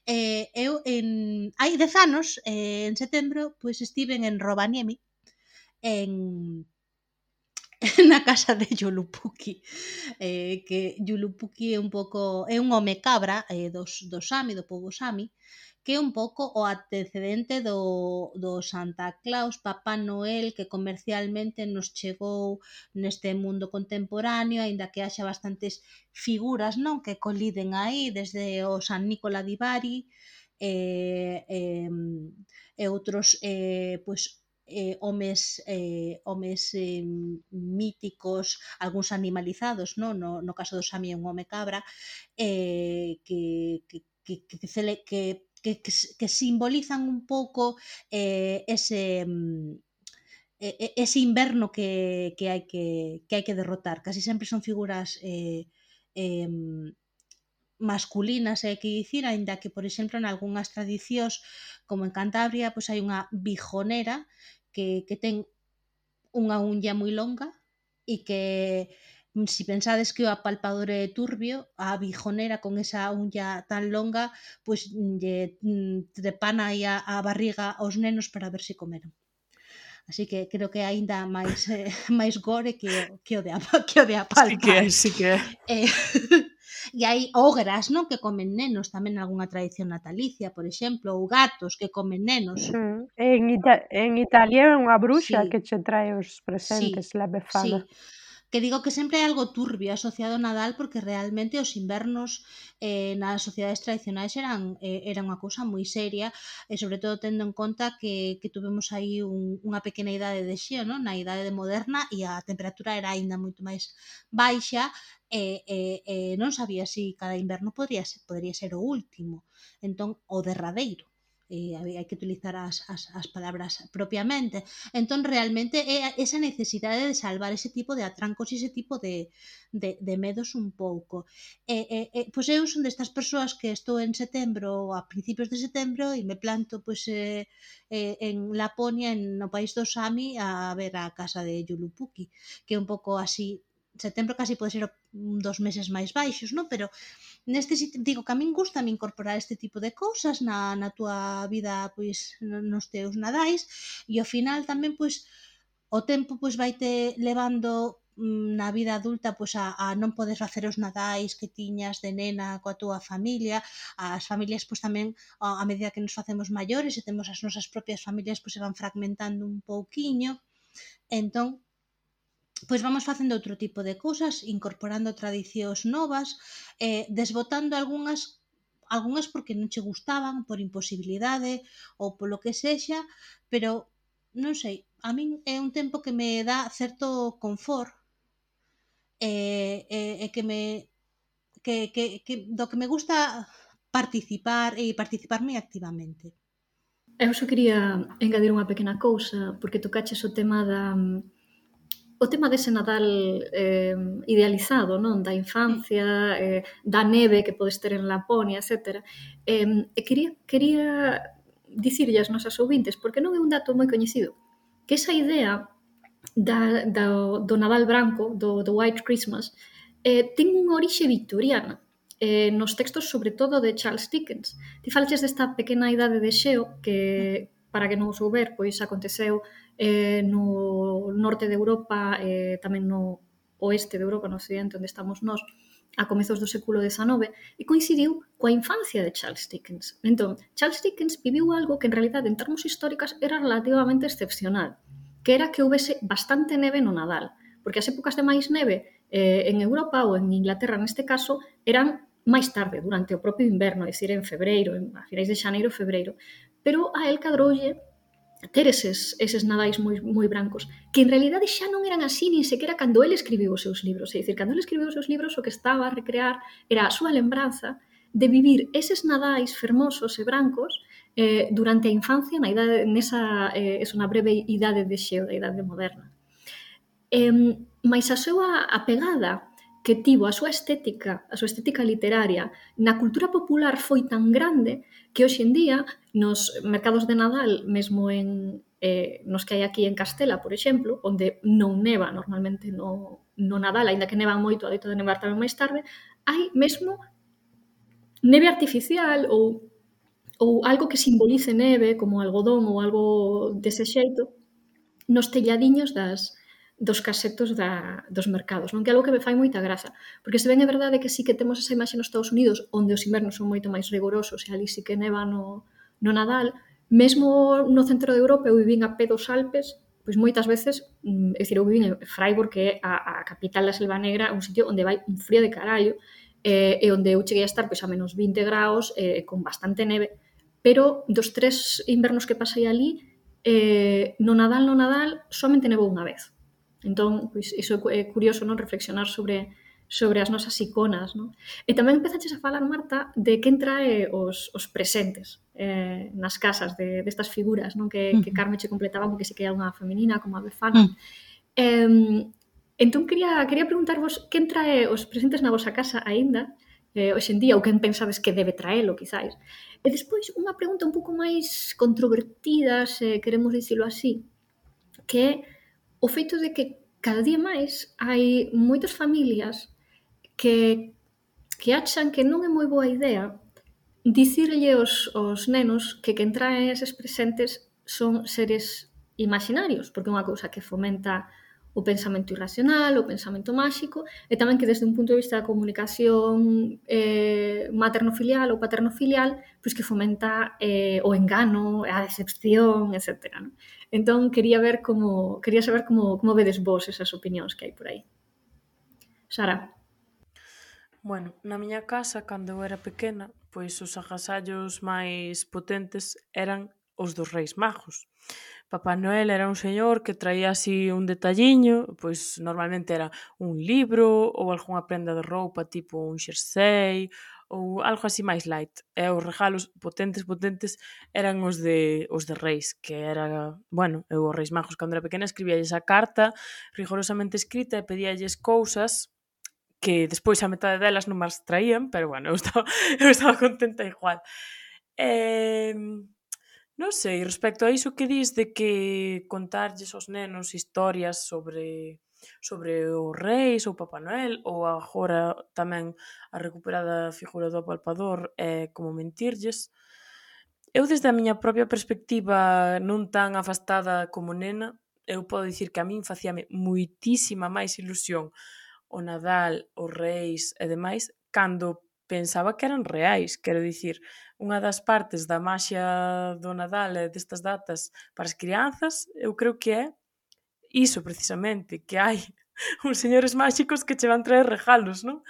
Eh, eu, en, hai dez anos, eh, en setembro, pois estiven en Rovaniemi, en na casa de Yulupuki, eh, que Yulupuki é un pouco é un home cabra eh, dos, do Sami, do povo Sami, que é un pouco o antecedente do, do Santa Claus, Papá Noel, que comercialmente nos chegou neste mundo contemporáneo, aínda que haxa bastantes figuras, non, que coliden aí, desde o San Nicola di Bari, e, e, e outros eh, pois, eh, homes, eh, homes eh, míticos, algúns animalizados, non? No, no caso do Sami é un home cabra, eh, que, que, que, que, que, que Que, que, que simbolizan un pouco eh, ese ese inverno que, que hai que, que hai que derrotar. Casi sempre son figuras eh, eh, masculinas, hai que dicir, aínda que, por exemplo, en algunhas tradicións, como en Cantabria, pois hai unha bijonera que, que ten unha uña moi longa e que si pensades que o apalpador é turbio, a bijonera con esa uña tan longa, pois lle trepana aí a, a barriga aos nenos para ver se comeron. Así que creo que é aínda máis eh, máis gore que o, que o de que o de apalpar. Sí que é, sí que é. Eh, e hai ogras, non, que comen nenos tamén en algunha tradición natalicia, por exemplo, ou gatos que comen nenos. Mm. En, Ita en Italia é unha bruxa Sí. que che trae os presentes, Sí, la Befana. sí. Que digo que sempre hai algo turbio asociado ao Nadal, porque realmente os invernos eh, nas sociedades tradicionais eran, eh, era unha cousa moi seria, e sobre todo tendo en conta que, que tuvemos aí un, unha pequena idade de xeo, non? Na idade moderna, e a temperatura era aínda moito máis baixa, e, e, e non sabía se si cada inverno podría ser, podría ser o último, entón o derradeiro. Eh, hai que utilizar as, as, as palabras propiamente. Entón, realmente, é esa necesidade de salvar ese tipo de atrancos e ese tipo de, de, de medos un pouco. E, e, e, pois eu son destas persoas que estou en setembro, a principios de setembro, e me planto pois, eh, eh, en Laponia, en, no país do Sami, a ver a casa de Yulupuki, que é un pouco así. Setembro casi pode ser un dos meses máis baixos, non? Pero neste sitio, digo que a min gusta me incorporar este tipo de cousas na, na túa vida, pois, nos teus nadais, e ao final tamén, pois, o tempo, pois, vaite levando na vida adulta, pois, a, a non poder facer os nadais que tiñas de nena coa túa familia. As familias, pois, tamén, a, a medida que nos facemos maiores e temos as nosas propias familias, pois, se van fragmentando un pouquiño. Entón, pois vamos facendo outro tipo de cousas, incorporando tradicións novas, eh, desbotando algunhas, algunhas porque non che gustaban, por imposibilidade ou polo que sexa, pero non sei, a min é un tempo que me dá certo confort e, e, e que me que, que, que do que me gusta participar e participar moi activamente. Eu só quería engadir unha pequena cousa, porque tocaches o tema da o tema dese Nadal eh, idealizado, non? Da infancia, eh, da neve que podes ter en Laponia, etcétera. Eh, e quería, quería dicirlle as nosas ouvintes, porque non é un dato moi coñecido, que esa idea da, da, do Nadal branco, do, do White Christmas, eh, ten unha orixe victoriana, eh, nos textos sobre todo de Charles Dickens. Ti falaches desta pequena idade de xeo que, para que non o souber, pois aconteceu eh, no norte de Europa, eh, tamén no oeste de Europa, no occidente, onde estamos nós, a comezos do século dezenove, e coincidiu coa infancia de Charles Dickens. Entón, Charles Dickens viviu algo que en realidade en termos históricos era relativamente excepcional, que era que houvese bastante neve no Nadal, porque as épocas de máis neve eh, en Europa ou en Inglaterra neste caso eran máis tarde, durante o propio inverno, é dicir, en febreiro, en, a finais de xaneiro e febreiro. Pero a el cadroulle ter eses, eses nadais moi, moi brancos, que en realidade xa non eran así, nin sequera cando ele escribiu os seus libros. É dicir, cando ele escribiu os seus libros, o que estaba a recrear era a súa lembranza de vivir eses nadais fermosos e brancos eh, durante a infancia, na idade, nesa, eh, es unha breve idade de xeo, da idade moderna. Eh, mais a súa apegada que tivo a súa estética, a súa estética literaria na cultura popular foi tan grande que hoxe en día nos mercados de Nadal, mesmo en eh, nos que hai aquí en Castela, por exemplo, onde non neva normalmente no, no Nadal, aínda que neva moito, adoita de nevar tamén máis tarde, hai mesmo neve artificial ou, ou algo que simbolice neve, como algodón ou algo dese xeito, nos telladiños das, dos casetos da, dos mercados, non? Que é algo que me fai moita graza, porque se ben é verdade que sí que temos esa imaxe nos Estados Unidos, onde os invernos son moito máis rigorosos e ali sí que neva no, no Nadal, mesmo no centro de Europa eu vivín a pé dos Alpes, pois moitas veces, é dicir, eu vivín en Freiburg, que é a, a capital da Selva Negra, un sitio onde vai un frío de carallo, eh, e onde eu cheguei a estar pois, a menos vinte graus, eh, con bastante neve, pero dos tres invernos que pasei ali, eh, no Nadal, no Nadal, somente nevou unha vez. Entón, pois, iso é curioso, non? Reflexionar sobre, sobre as nosas iconas, non? E tamén empezaches a falar, Marta, de quen trae os, os presentes eh, nas casas de, destas figuras, non? Que, que Carme che completaba, porque sí que hai unha feminina, como a Befana. Uh. Eh, entón, quería, quería preguntarvos quen trae os presentes na vosa casa aínda, eh, hoxe en día, ou quen pensades que debe traelo, quizáis. E despois, unha pregunta un pouco máis controvertida, se queremos dicilo así, que é o feito de que cada día máis hai moitas familias que, que achan que non é moi boa idea dicirlle aos, aos nenos que quen trae eses presentes son seres imaginarios, porque é unha cousa que fomenta o pensamento irracional, o pensamento máxico, e tamén que desde un punto de vista da comunicación eh, materno-filial ou paterno-filial, pois que fomenta eh, o engano, a decepción, etcétera. Non? Entón, quería ver como quería saber como, como vedes vos esas opinións que hai por aí. Sara. Bueno, na miña casa, cando eu era pequena, pois os agasallos máis potentes eran os dos Reis Magos. Papá Noel era un señor que traía así un detalliño, pois normalmente era un libro ou algunha prenda de roupa tipo un xersei ou algo así máis light. E os regalos potentes, potentes eran os de os de Reis, que era, bueno, eu os Reis Magos cando era pequena escribíalles a carta rigorosamente escrita e pedíalles cousas que despois a metade delas non máis traían, pero bueno, eu estaba, eu estaba contenta igual. Eh, non sei, respecto a iso que dis de que contarlles aos nenos historias sobre sobre os reis ou Papá Noel, ou agora tamén a recuperada figura do apalpador é como mentirlles. Eu desde a miña propia perspectiva non tan afastada como nena, eu podo dicir que a min facíame moitísima máis ilusión o Nadal, os reis e demais, cando pensaba que eran reais. Quero dicir, unha das partes da maxia do Nadal e destas datas para as crianzas, eu creo que é iso precisamente, que hai uns señores máxicos que che van traer regalos, non?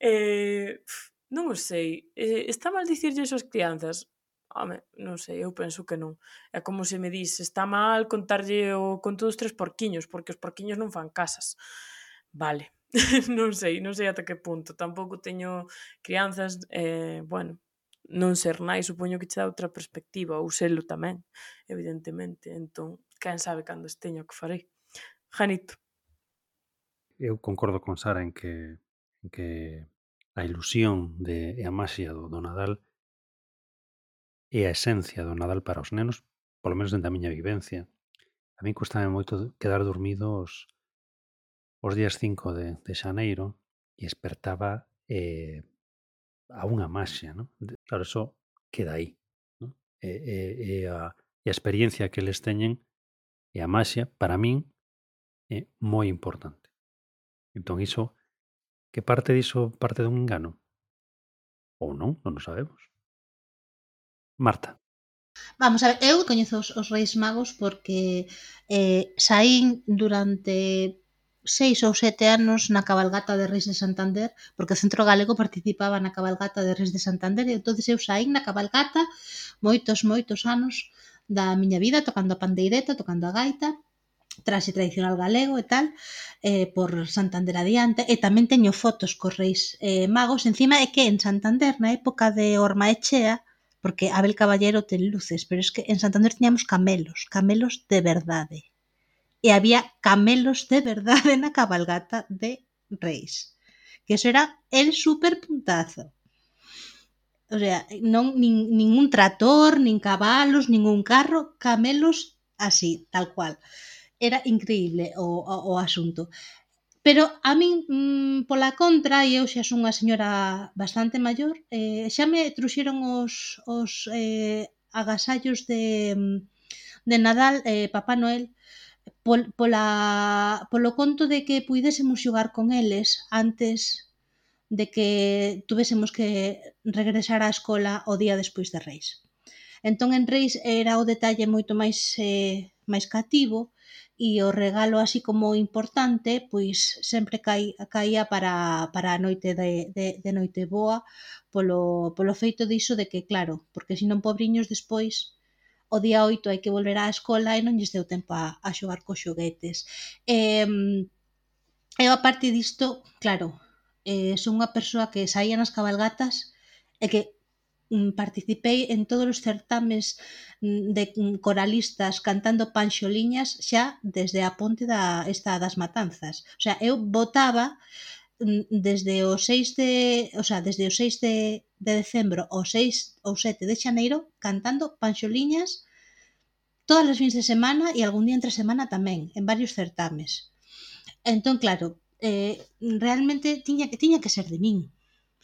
Eh, non o sei. Eh, está mal dicirlle iso ás crianzas? home, non sei, eu penso que non. É como se me dis, está mal contarlle o conto dos tres porquiños, porque os porquiños non fan casas. Vale, non sei, non sei ata que punto. Tampouco teño crianzas, eh, bueno, non ser nai, supoño que che dá outra perspectiva, ou selo tamén, evidentemente. Entón, quen sabe cando esteño que farei. Janito. Eu concordo con Sara en que, en que a ilusión de, e a maxia do, do Nadal é a esencia do Nadal para os nenos, polo menos dentro da miña vivencia. A mí custame moito quedar dormido os, os días cinco de, de xaneiro e espertaba eh, a unha maxia, ¿no? De, claro, eso queda aí, ¿no? E, e, e, a, e a experiencia que eles teñen e a maxia, para min, é moi importante. Entón, iso, que parte diso parte dun engano? Ou non, non o sabemos. Marta. Vamos a ver, eu coñezo os, os Reis Magos porque eh, saín durante seis ou sete anos na cabalgata de Reis de Santander, porque o Centro Galego participaba na cabalgata de Reis de Santander, e entonces eu saín na cabalgata moitos, moitos anos da miña vida, tocando a pandeireta, tocando a gaita, traxe tradicional galego e tal, eh, por Santander adiante, e tamén teño fotos cos Reis eh, Magos. Encima é que en Santander, na época de Ormaechea, porque Abel Caballero ten luces, pero es que en Santander tiñamos camelos, camelos de verdade. E había camelos de verdade na cabalgata de Reis. Que eso era el super puntazo. O sea, non nin, ningún trator, nin cabalos, ningún carro, camelos así, tal cual. Era increíble o, o, o asunto. Pero a min, mmm, pola contra, e eu xa son unha señora bastante maior, eh, xa me truxeron os, os eh, agasallos de, de Nadal, eh, Papá Noel, pol, pola, polo conto de que puidésemos xogar con eles antes de que tuvésemos que regresar á escola o día despois de Reis. Entón, en Reis era o detalle moito máis, eh, máis cativo, e o regalo así como importante, pois sempre cai, caía para, para a noite de, de, de Noiteboa, polo, polo feito diso de que, claro, porque senón pobriños despois o día oito hai que volver á escola e non lles deu tempo a, a xogar cos xoguetes. E, eu, a parte disto, claro, eh, son unha persoa que saía nas cabalgatas e que participei en todos os certames de coralistas cantando panxoliñas xa desde a ponte da esta das Matanzas. O sea, eu votaba desde o seis de, o sea, desde o seis de, de decembro ao seis ou sete de xaneiro cantando panxoliñas todas as fins de semana e algún día entre semana tamén, en varios certames. Entón, claro, eh, realmente tiña que tiña que ser de min.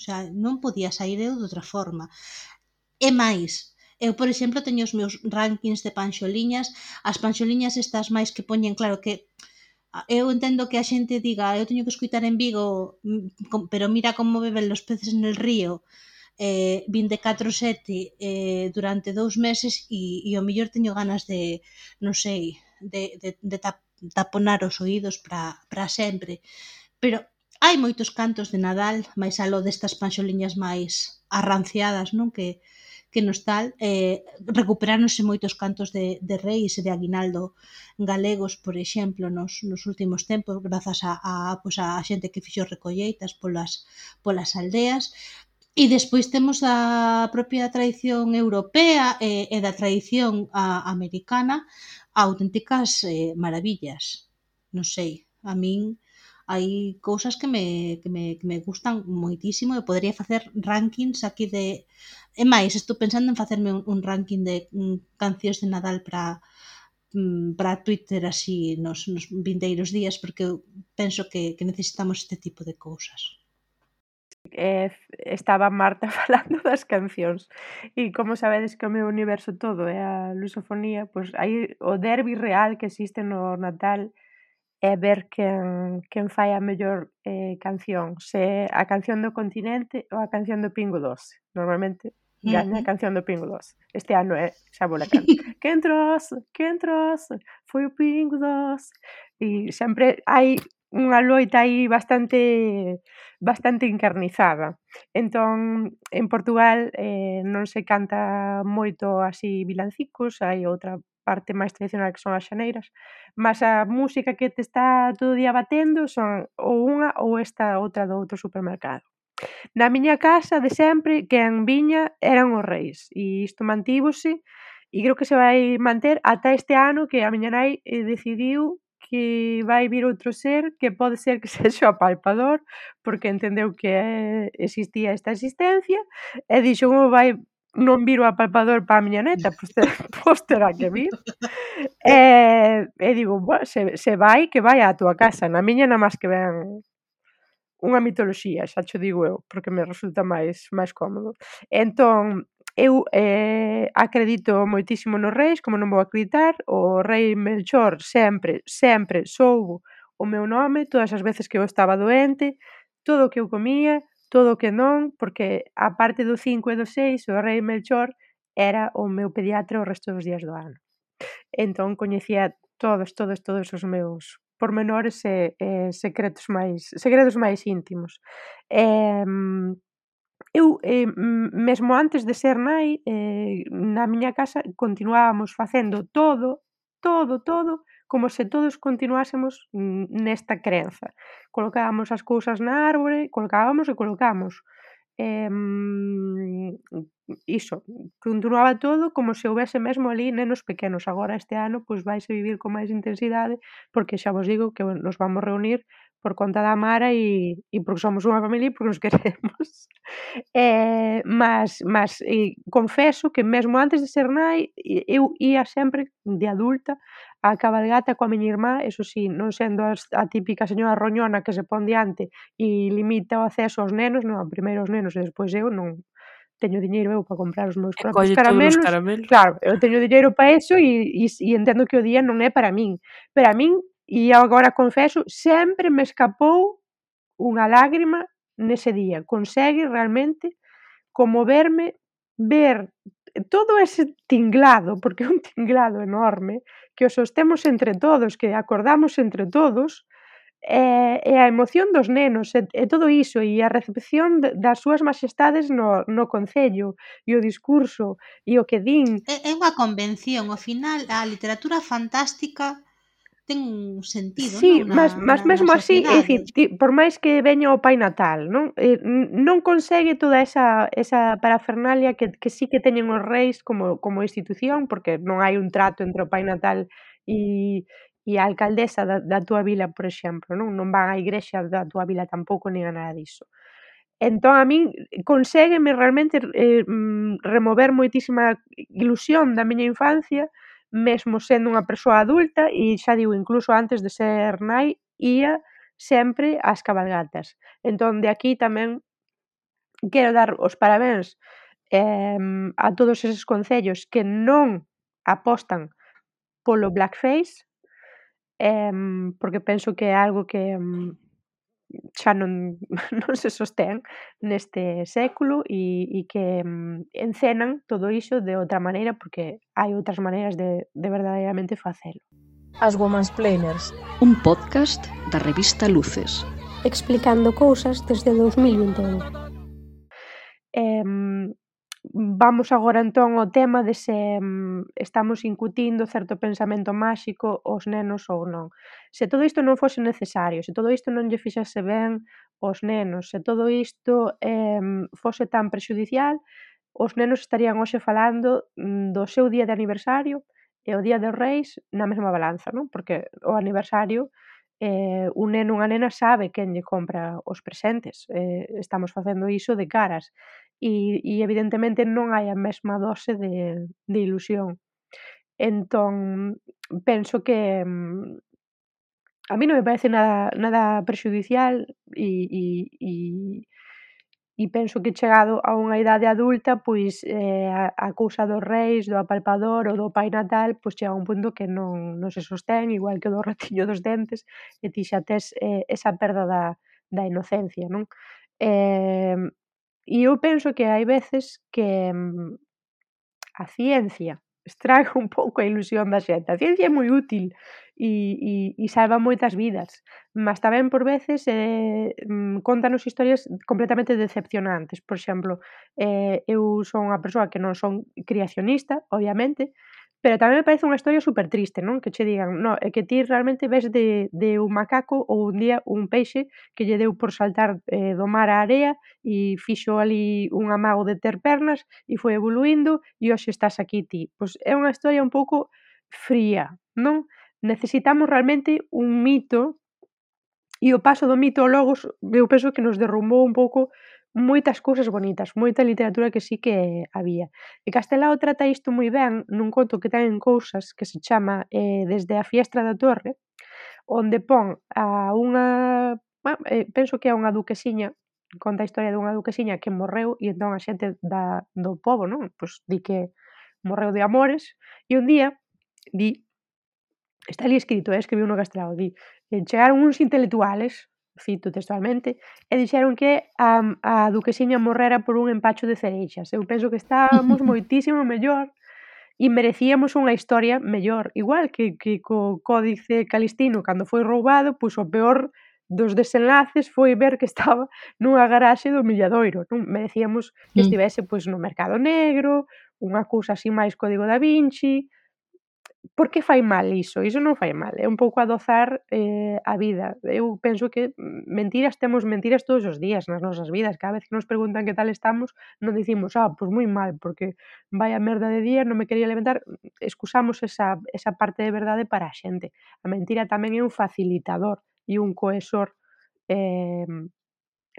O sea, non podía sair eu de outra forma. E máis, eu, por exemplo, teño os meus rankings de panxoliñas, as panxoliñas estas máis que poñen, claro que eu entendo que a xente diga eu teño que escutar en Vigo, pero mira como beben los peces en el río, eh, vinte e catro sete eh, durante dous meses e, e o mellor teño ganas de, non sei, de, de, de taponar os oídos para sempre. Pero hai moitos cantos de Nadal, máis aló destas panxoliñas máis arranciadas, non? Que, que nos tal, eh, recuperáronse moitos cantos de, de Reis e de Aguinaldo galegos, por exemplo, nos, nos últimos tempos, grazas a, a, pues a xente que fixo recolleitas polas, polas aldeas. E despois temos a propia tradición europea e, e da tradición a, americana, auténticas eh, maravillas. Non sei, a min hai cousas que me, que me, que me gustan moitísimo e podería facer rankings aquí de... E máis, estou pensando en facerme un, un ranking de um, cancións de Nadal para um, para Twitter así nos, nos vindeiros días, porque eu penso que, que necesitamos este tipo de cousas. Eh, estaba Marta falando das cancións e como sabedes que o meu universo todo é a lusofonía, pois aí o derbi real que existe no Natal é ver quen, quen fai a mellor eh, canción, se a canción do continente ou a canción do Pingo Doce. Normalmente gaña a canción do Pingo Doce. Este ano é xa vou la canto. Quen trouxe, quen trouxe, foi o Pingo Doce. E sempre hai unha loita aí bastante bastante encarnizada. Entón, en Portugal eh, non se canta moito así vilancicos, hai outra parte máis tradicional que son as xaneiras, mas a música que te está todo o día batendo son ou unha ou esta outra do outro supermercado. Na miña casa, de sempre, quen viña eran os reis, e isto mantívose, e creo que se vai manter ata este ano que a miña nai eh, decidiu que vai vir outro ser que pode ser que sexa o apalpador, porque entendeu que eh, existía esta existencia, e dixo como vai non vir o apalpador para a miña neta, pois, ter, pois terá que vir. E, e digo, bueno, se, se vai, que vai á túa casa, na miña nada máis que ven unha mitoloxía, xa cho digo eu, porque me resulta máis máis cómodo. Entón, eu eh, acredito moitísimo nos reis, como non vou acreditar, o rei Melchor sempre, sempre soubo o meu nome, todas as veces que eu estaba doente, todo o que eu comía, todo o que non, porque a parte do cinco e do seis, o rei Melchor era o meu pediatra o resto dos días do ano. Entón coñecía todos, todos, todos os meus pormenores e, e secretos máis segredos máis íntimos. E, eu, eh, mesmo antes de ser nai, eh, na miña casa continuábamos facendo todo, todo, todo, como se todos continuásemos nesta crenza. Colocábamos as cousas na árbore, colocábamos e colocamos. Eh, iso, continuaba todo como se houbese mesmo ali nenos pequenos. Agora este ano pois vaise vivir con máis intensidade, porque xa vos digo que nos vamos reunir por conta da Mara e, e porque somos unha familia e porque nos queremos. Eh, mas mas eh, confeso que mesmo antes de ser nai eu ía sempre de adulta á cabalgata coa miña irmá, eso si, non sendo as, a típica señora roñona que se pon diante e limita o acceso aos nenos, non, primeiro os nenos e despois eu, non teño diñeiro eu para comprar os meus E propios colle todos os caramelos. caramelos. Claro, eu teño diñeiro para eso e, e, e entendo que o día non é para min. Pero a min, e agora confeso, sempre me escapou unha lágrima nese día. Consegue realmente conmoverme ver todo ese tinglado, porque é un tinglado enorme, que o sostemos entre todos, que acordamos entre todos, e, e a emoción dos nenos e, e todo iso, e a recepción de, das súas maxestades no, no concello, e o discurso, e o que din. É, é unha convención, ao final a literatura fantástica ten un sentido, Sí, non, mas, na, mas na, na mesmo así, é sociedade. dicir, ti, por máis que veña o Pai Natal, non? Eh, non consegue toda esa, esa parafernalia que, que sí que teñen os reis como, como institución, porque non hai un trato entre o Pai Natal e, e a alcaldesa da, da túa vila, por exemplo, non? Non van á igrexa da túa vila tampouco, nin a nada diso. Entón, a min conségueme realmente eh, remover moitísima ilusión da miña infancia, mesmo sendo unha persoa adulta, e xa digo, incluso antes de ser nai, ía sempre ás cabalgatas. Entón, de aquí tamén quero dar os parabéns eh, a todos eses concellos que non apostan polo blackface, eh, porque penso que é algo que xa non, non se sostén neste século e, e que mm, encenan todo iso de outra maneira porque hai outras maneiras de, de verdadeiramente facelo. As Womansplainers, un podcast da revista Luces, explicando cousas desde dous mil vinte e un. Eh, vamos agora entón ao tema de se mm, estamos incutindo certo pensamento máxico aos nenos ou non. Se todo isto non fose necesario, se todo isto non lle fixase ben aos nenos, se todo isto eh, fose tan prexudicial, os nenos estarían hoxe falando mm, do seu día de aniversario e o día dos reis na mesma balanza, non? Porque o aniversario eh, un neno ou unha nena sabe quen lle compra os presentes, eh, estamos facendo iso de caras e, e evidentemente non hai a mesma dose de, de ilusión. Entón, penso que mm, a mí non me parece nada, nada prexudicial e, e, e, e penso que chegado a unha idade adulta, pois eh, a, a cousa dos reis, do apalpador ou do Pai Natal, pois chega a un punto que non, non se sostén, igual que o do ratiño dos dentes, e ti xa tes eh, esa perda da, da inocencia, non? Eh, E eu penso que hai veces que mm, a ciencia estraga un pouco a ilusión da xente. A ciencia é moi útil e, e, e salva moitas vidas, mas tamén por veces eh, contanos historias completamente decepcionantes. Por exemplo, eh, eu son unha persoa que non son creacionista, obviamente, pero tamén me parece unha historia super triste, non? Que che digan, no, é que ti realmente ves de, de un macaco ou un día un peixe que lle deu por saltar eh, do mar á area e fixo ali un amago de ter pernas e foi evoluindo e hoxe estás aquí ti. Pois é unha historia un pouco fría, non? Necesitamos realmente un mito e o paso do mito ao logos eu penso que nos derrumbou un pouco moitas cousas bonitas, moita literatura que sí que había. E Castelao trata isto moi ben nun conto que ten en Cousas que se chama eh, Desde a fiestra da torre, onde pon a unha, bueno, eh, penso que é unha duquesiña, conta a historia dunha duquesiña que morreu e entón a xente da, do pobo, non? Pois di que morreu de amores e un día di, está ali escrito, eh, escribiu no Castelao, di, eh, chegaron uns intelectuales, cito textualmente, e dixeron que a, a duquesiña morrera por un empacho de cereixas. Eu penso que estábamos moitísimo mellor e merecíamos unha historia mellor. Igual que, que co Códice Calistino, cando foi roubado, pois o peor dos desenlaces foi ver que estaba nunha garaxe do Milladoiro. Non merecíamos que estivese pois no mercado negro, unha cousa así máis Código da Vinci. Por que fai mal iso? Iso non fai mal, é un pouco adozar eh, a vida. Eu penso que mentiras, temos mentiras todos os días nas nosas vidas. Cada vez que nos preguntan que tal estamos, non dicimos, ah, pois moi mal, porque vai a merda de día, non me quería levantar. Excusamos esa, esa parte de verdade para a xente. A mentira tamén é un facilitador e un cohesor. Eh,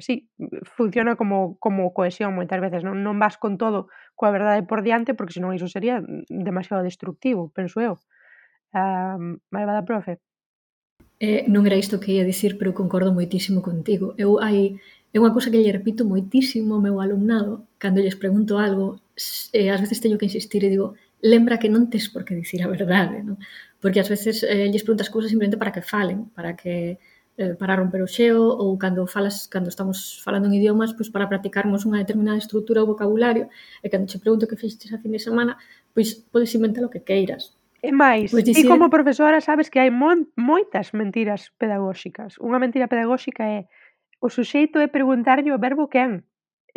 sí, funciona como, como cohesión moitas veces. Non, non vas con todo coa verdade por diante, porque senón iso sería demasiado destructivo, penso eu. Um, malvada profe. Eh, non era isto que ia dicir, pero concordo moitísimo contigo. Eu hai é unha cousa que lle repito moitísimo ao meu alumnado cando lles pregunto algo, eh, ás veces teño que insistir e digo, lembra que non tes por que dicir a verdade, non? Porque ás veces eh, lles preguntas cousas simplemente para que falen, para que eh, para romper o xeo, ou cando falas, cando estamos falando en idiomas, pois para practicarmos unha determinada estrutura ou vocabulario, e cando che pregunto que fixeches a fin de semana, pois podes inventar o que queiras. E máis, Pois ti dicir... como profesora sabes que hai mon, moitas mentiras pedagóxicas. Unha mentira pedagóxica é o suxeito é preguntarlle o verbo quen.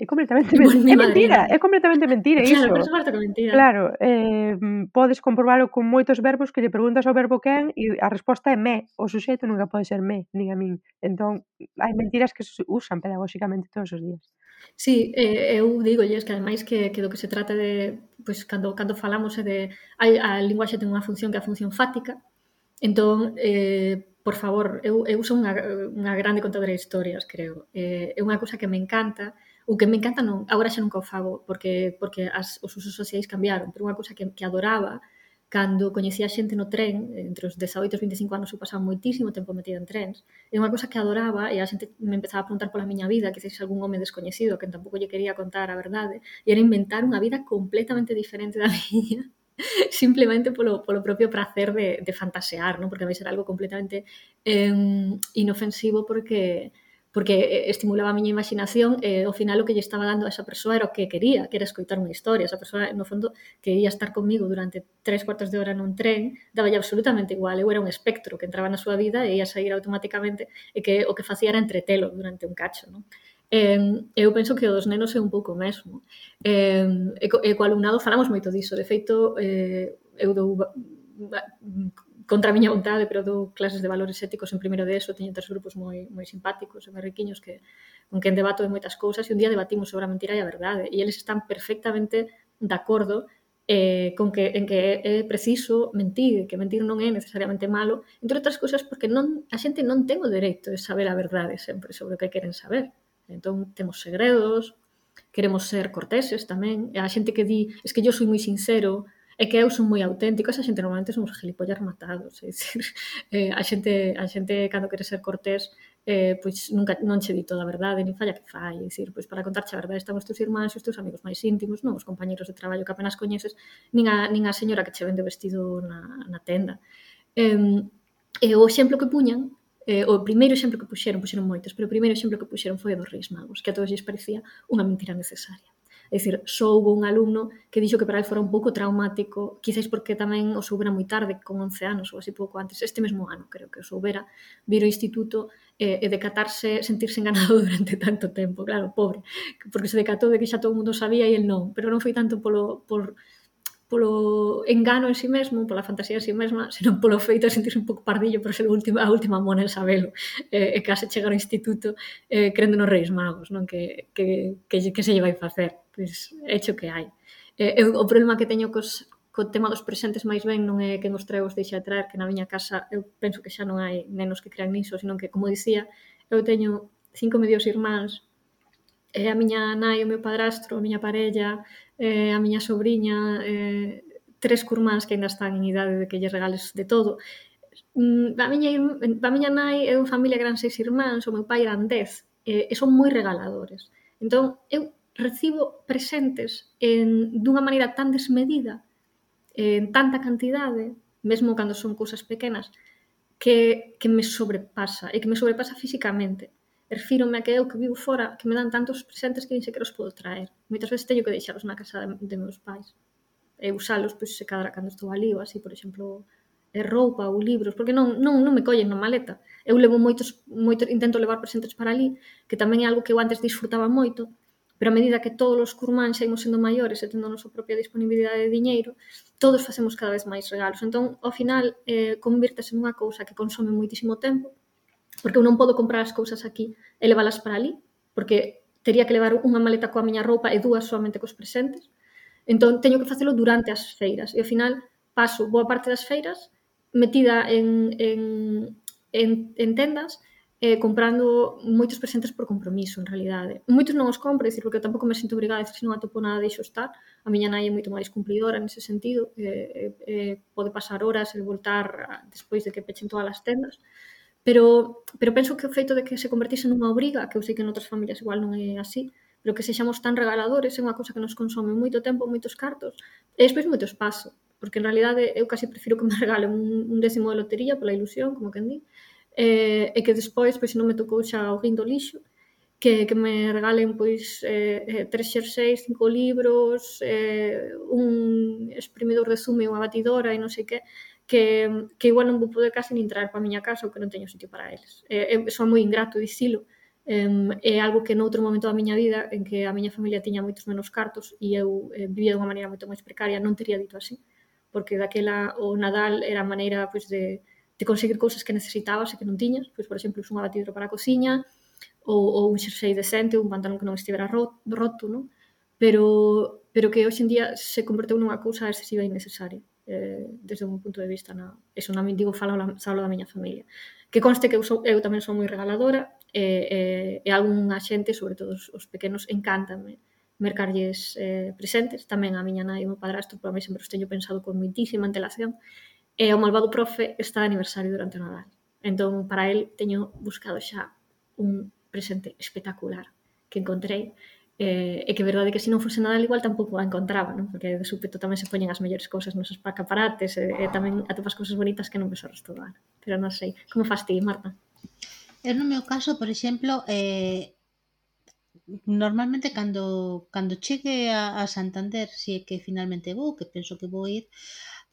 É completamente mentira. É mentira, é completamente mentira claro, iso. Claro, por suposto que é mentira. Claro, eh, podes comprobalo con moitos verbos que lle preguntas ao verbo quen e a resposta é me. O suxeito nunca pode ser me, nin a min. Entón, hai mentiras que se usan pedagóxicamente todos os días. Sí, eh, eu dígolles que ademais que, que do que se trata de, pois, cando, cando falamos é de, a, a linguaxe ten unha función que é a función fática, entón, eh, por favor, eu, eu son unha, unha grande contadora de historias, creo. Eh, é unha cousa que me encanta, o que me encanta non, agora xa nunca o fago, porque, porque as, os usos sociais cambiaron, pero unha cousa que, que adoraba, cando coñecía xente no tren, entre os dezaoito e os vinte e cinco anos eu pasaba moitísimo tempo metida en trens, é unha cousa que adoraba e a xente me empezaba a preguntar pola miña vida, que se algún home descoñecido que tampouco lle quería contar a verdade, e era inventar unha vida completamente diferente da miña, simplemente polo, polo propio prazer de, de fantasear, non? Porque a mí era algo completamente eh, inofensivo porque porque estimulaba a miña imaginación e ao final o que lle estaba dando a esa persoa era o que quería, que era escoitar unha historia. Esa persoa, no fondo, quería estar comigo durante tres cuartos de hora nun tren, daballe absolutamente igual. Eu era un espectro que entraba na súa vida e ia sair automáticamente e que o que facía era entretelo durante un cacho, non? Eh, eu penso que o dos nenos é un pouco mesmo. Eh, e, co, e co alumnado falamos moito diso. De feito, eh, eu dou contra a miña vontade, pero dou clases de valores éticos en primeiro de eso, teño tres grupos moi, moi simpáticos e moi riquiños que, con quen debato de moitas cousas e un día debatimos sobre a mentira e a verdade e eles están perfectamente de acordo eh, con que, en que é preciso mentir, que mentir non é necesariamente malo, entre outras cousas porque non, a xente non ten o dereito de saber a verdade sempre sobre o que queren saber. Entón, temos segredos, queremos ser corteses tamén, e a xente que di, es que yo soy moi sincero, é que eu son moi auténtico, esa xente normalmente son os gilipollas matados, é dicir, eh, a xente, a xente cando quere ser cortés, eh, pois nunca non che di toda a verdade, nin falla que fai, é dicir, pois para contarche a verdade están os teus irmáns e os teus amigos máis íntimos, non os compañeros de traballo que apenas coñeces, nin a, nin a señora que che vende o vestido na, na tenda. Eh, e o exemplo que puñan, eh, o primeiro exemplo que puxeron, puxeron moitos, pero o primeiro exemplo que puxeron foi o dos Reis Magos, que a todos lles parecía unha mentira necesaria. É dicir, só houve un alumno que dixo que para ele fora un pouco traumático, quizás porque tamén o soubera moi tarde, con once anos ou así pouco antes, este mesmo ano creo que o soubera, vir ao instituto e, e decatarse, sentirse enganado durante tanto tempo, claro, pobre, porque se decatou de que xa todo o mundo sabía e el non, pero non foi tanto polo, por, polo engano en si mesmo, pola fantasía en si mesma, senón polo feito de sentirse un pouco pardillo por ser a última, a última mona en sabelo, e, e case chegar ao instituto eh, crendo nos Reis Magos, non? Que, que, que, que se lle vai facer, pois hecho que hai. Eh, eu, o problema que teño cos, co tema dos presentes máis ben non é que nos trae os deixa de traer, que na miña casa eu penso que xa non hai nenos que crean niso, senón que, como dicía, eu teño cinco medios irmáns, e a miña nai, o meu padrastro, a miña parella, eh, a miña sobriña, eh, tres curmáns que ainda están en idade de que lle regales de todo. Mm, a, miña, a miña nai é unha familia que eran seis irmáns, o meu pai eran dez, eh, e son moi regaladores. Entón, eu recibo presentes en, dunha maneira tan desmedida, en tanta cantidade, mesmo cando son cousas pequenas, que, que me sobrepasa, e que me sobrepasa físicamente. Refírome a que eu que vivo fora, que me dan tantos presentes que nin sequera os podo traer. Moitas veces teño que deixalos na casa de, de meus pais. E usalos, pois, se cadra cando estou ali, ou así, por exemplo, é roupa ou libros, porque non, non, non me collen na maleta. Eu levo moitos, moitos, intento levar presentes para ali, que tamén é algo que eu antes disfrutaba moito, pero a medida que todos os curmáns xa imos sendo maiores e tendo a nosa propia disponibilidade de diñeiro, todos facemos cada vez máis regalos. Entón, ao final, eh, convírtese nunha cousa que consome moitísimo tempo, porque eu non podo comprar as cousas aquí e leválas para ali, porque tería que levar unha maleta coa miña roupa e dúas solamente cos presentes. Entón, teño que facelo durante as feiras. E ao final, paso boa parte das feiras metida en, en, en, en tendas, eh, comprando moitos presentes por compromiso, en realidade. Moitos non os compro, dicir, porque eu tampouco me sinto obrigada, se non atopo nada, deixo estar. A miña nai é moito máis cumplidora nese sentido, eh, eh, pode pasar horas e voltar despois de que pechen todas as tendas. Pero, pero penso que o feito de que se convertise nunha obriga, que eu sei que en outras familias igual non é así, pero que sexamos tan regaladores é unha cousa que nos consome moito tempo, moitos cartos, e despois moito espazo, porque en realidade eu casi prefiro que me regalen un, un décimo de lotería pola ilusión, como quen di, e, e que despois, pois, se non me tocou xa o guindo lixo, que, que me regalen pois eh, tres xerseis, cinco libros, eh, un exprimidor de zume, unha batidora e non sei que, que, que igual non vou poder casi nin traer para a miña casa ou que non teño sitio para eles. É, é, son moi ingrato dicilo, é, é algo que noutro momento da miña vida en que a miña familia tiña moitos menos cartos e eu eh, vivía dunha maneira moito máis precaria, non teria dito así, porque daquela o Nadal era a maneira pois, de, de conseguir cousas que necesitabas e que non tiñas, pois, por exemplo, unha batidora para a cociña, ou, ou un xersei decente, un pantalón que non estivera roto, non? Pero, pero que hoxe en día se converteu nunha cousa excesiva e innecesaria. Eh, desde un punto de vista na, eso non me digo falo, falo da miña familia, que conste que eu, sou, eu tamén son moi regaladora e, e, e algunha xente, sobre todo os, os pequenos, encántame mercarlles eh, presentes, tamén a miña nai e o meu padrastro, pero a mí sempre os teño pensado con moitísima antelación, e o malvado profe está de aniversario durante o Nadal, entón para el teño buscado xa un presente espectacular que encontrei. Eh, e que é verdade que se non fose Nadal igual tampouco a encontraba, non? Porque de súpeto tamén se poñen as mellores cousas nos escaparates e, e tamén atopas cousas bonitas que non ves o resto do ano. Pero non sei, como fas ti, Marta? Eu no meu caso, por exemplo, eh, normalmente cando, cando chegue a, a Santander, si é que finalmente vou, que penso que vou ir,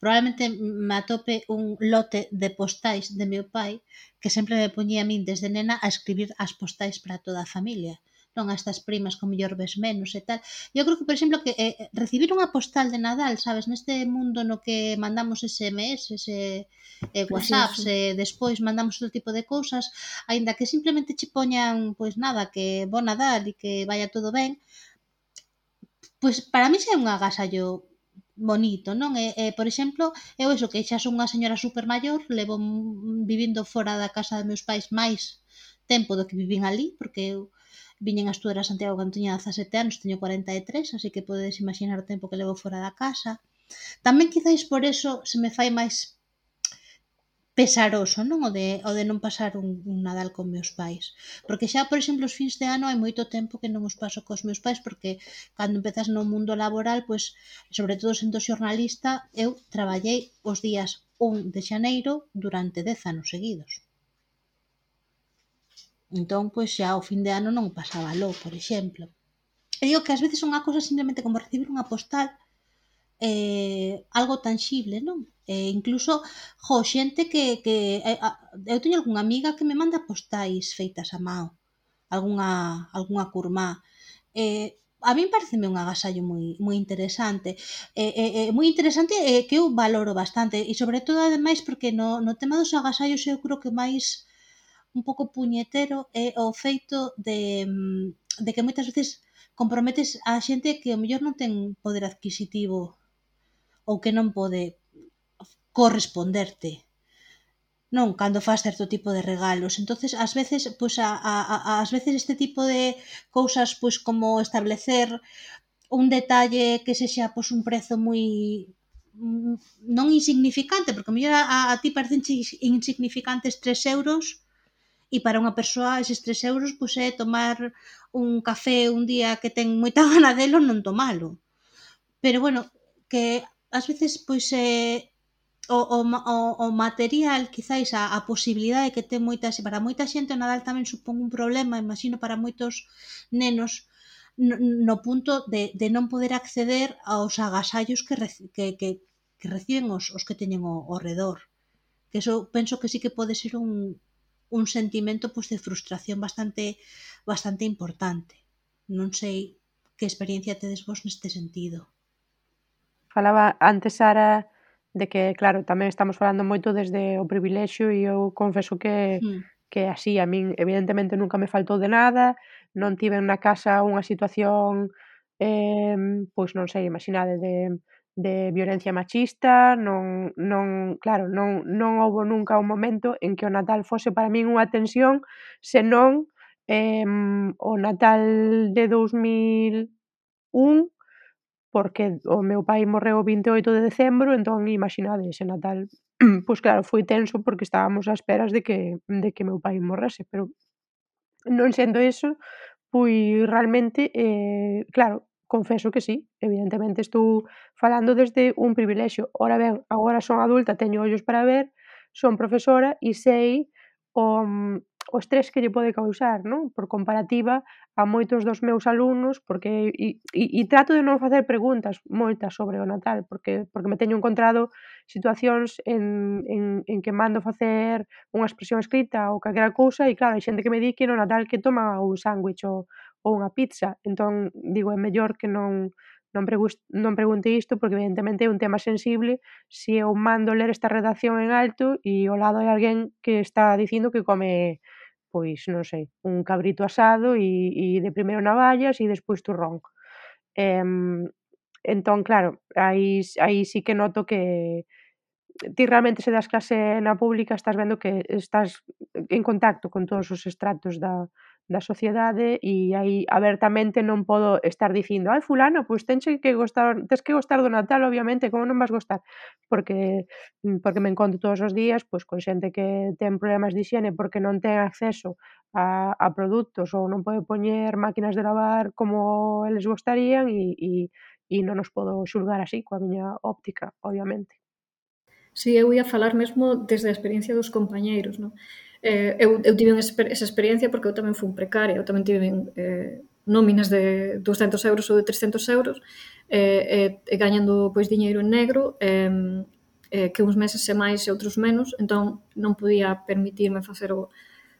probablemente me atope un lote de postais de meu pai que sempre me poñía a min desde nena a escribir as postais para toda a familia, non a estas primas con mellor ves menos e tal. Eu creo que, por exemplo, que eh, recibir unha postal de Nadal, sabes, neste mundo no que mandamos ese eme ese, ese eh, WhatsApps, e despois mandamos outro tipo de cousas, aínda que simplemente che poñan, pois nada, que bo Nadal e que vaya todo ben, pois para mí xa é un agasallo bonito, non? E, e, por exemplo, eu eso, que xa son unha señora super maior, levo vivindo fora da casa de meus pais máis tempo do que vivín ali, porque eu viñen a estudar a Santiago cando tiña dezasete anos, teño cuarenta e tres, así que podedes imaginar o tempo que levo fora da casa. Tamén quizáis por eso se me fai máis pesaroso, non? O de, o de non pasar un, un Nadal con meus pais. Porque xa, por exemplo, os fins de ano hai moito tempo que non os paso cos meus pais, porque cando empezas no mundo laboral, pois, sobre todo sendo xornalista, eu traballei os días un de xaneiro durante dez anos seguidos. Entón, pois xa o fin de ano non pasaba lo, por exemplo. E digo que ás veces son unha cousa simplemente como recibir unha postal, eh, algo tangible, non? E incluso, jo, xente que, que eh, a, eu teño algunha amiga que me manda postais feitas a mao, algunha, algunha curmá. Eh, a min pareceme un agasallo moi, moi interesante. Eh, eh, eh, moi interesante e eh, que eu valoro bastante. E sobre todo, ademais, porque no, no tema dos agasallos eu creo que máis un pouco puñetero é o feito de, de que moitas veces comprometes a xente que ao mellor non ten poder adquisitivo ou que non pode corresponderte, non, cando faz certo tipo de regalos. Entonces, ás veces, pois a, a, ás veces este tipo de cousas, pois como establecer un detalle que sexa pois un prezo moi non insignificante, porque a mellor a, a ti parecen insignificantes tres euros e para unha persoa eses tres euros pois é tomar un café un día que ten moita gana delo non tomalo. Pero bueno, que ás veces pois é o, o, o material, quizáis a, a posibilidade que ten moitas, para moita xente o Nadal tamén supón un problema, imagino para moitos nenos, no, no punto de, de non poder acceder aos agasallos que, que, que, que reciben os, os que teñen ao, ao redor. Que eso penso que sí que pode ser un, un sentimento pois, de frustración bastante, bastante importante. Non sei que experiencia tedes vos neste sentido. Falaba antes, Sara, de que, claro, tamén estamos falando moito desde o privilexio e eu confeso que, Mm. que así, a min evidentemente nunca me faltou de nada, non tiven na casa unha situación, eh, pois non sei, imaginade, de, de violencia machista, non, non, claro, non, non houbo nunca un momento en que o Natal fose para min unha tensión, senón eh, o Natal de dous mil un, porque o meu pai morreu o vinte e oito de decembro, entón imaginade, ese Natal, pois claro, foi tenso porque estábamos á esperas de que, de que meu pai morrese, pero non sendo eso, pois realmente, eh, claro, confeso que sí, evidentemente estou falando desde un privilexio. Ora ben, agora son adulta, teño ollos para ver, son profesora e sei o, o estrés que lle pode causar, non? Por comparativa a moitos dos meus alumnos, porque e, e, e trato de non facer preguntas moitas sobre o Natal, porque porque me teño encontrado situacións en, en, en que mando facer unha expresión escrita ou calquera cousa e claro, hai xente que me di que no Natal que toma un sándwich ou, ou unha pizza, entón digo, é mellor que non non, pregus, non pregunte isto porque evidentemente é un tema sensible se eu mando ler esta redacción en alto e ao lado hai alguén que está dicindo que come, pois non sei, un cabrito asado e, e de primeiro navallas e despois turrón. Eh, entón, claro, aí, aí sí que noto que ti realmente se das clase na pública estás vendo que estás en contacto con todos os estratos da, da sociedade e aí abertamente non podo estar dicindo ai fulano, pois tenche que gostar, tes que gostar do Natal obviamente, como non vas gostar? Porque porque me encontro todos os días pois con xente que ten problemas de hixiene porque non ten acceso a, a produtos ou non pode poñer máquinas de lavar como eles gostarían e, e, e non os podo xulgar así coa miña óptica, obviamente. Si, eu ia falar mesmo desde a experiencia dos compañeiros, non? Eh, eu, eu tive esa experiencia porque eu tamén fui precaria, eu tamén tive eh, nóminas de douscentos euros ou de trescentos euros eh, e, e gañando pois diñeiro en negro eh, eh, que uns meses e máis e outros menos, entón non podía permitirme facer o,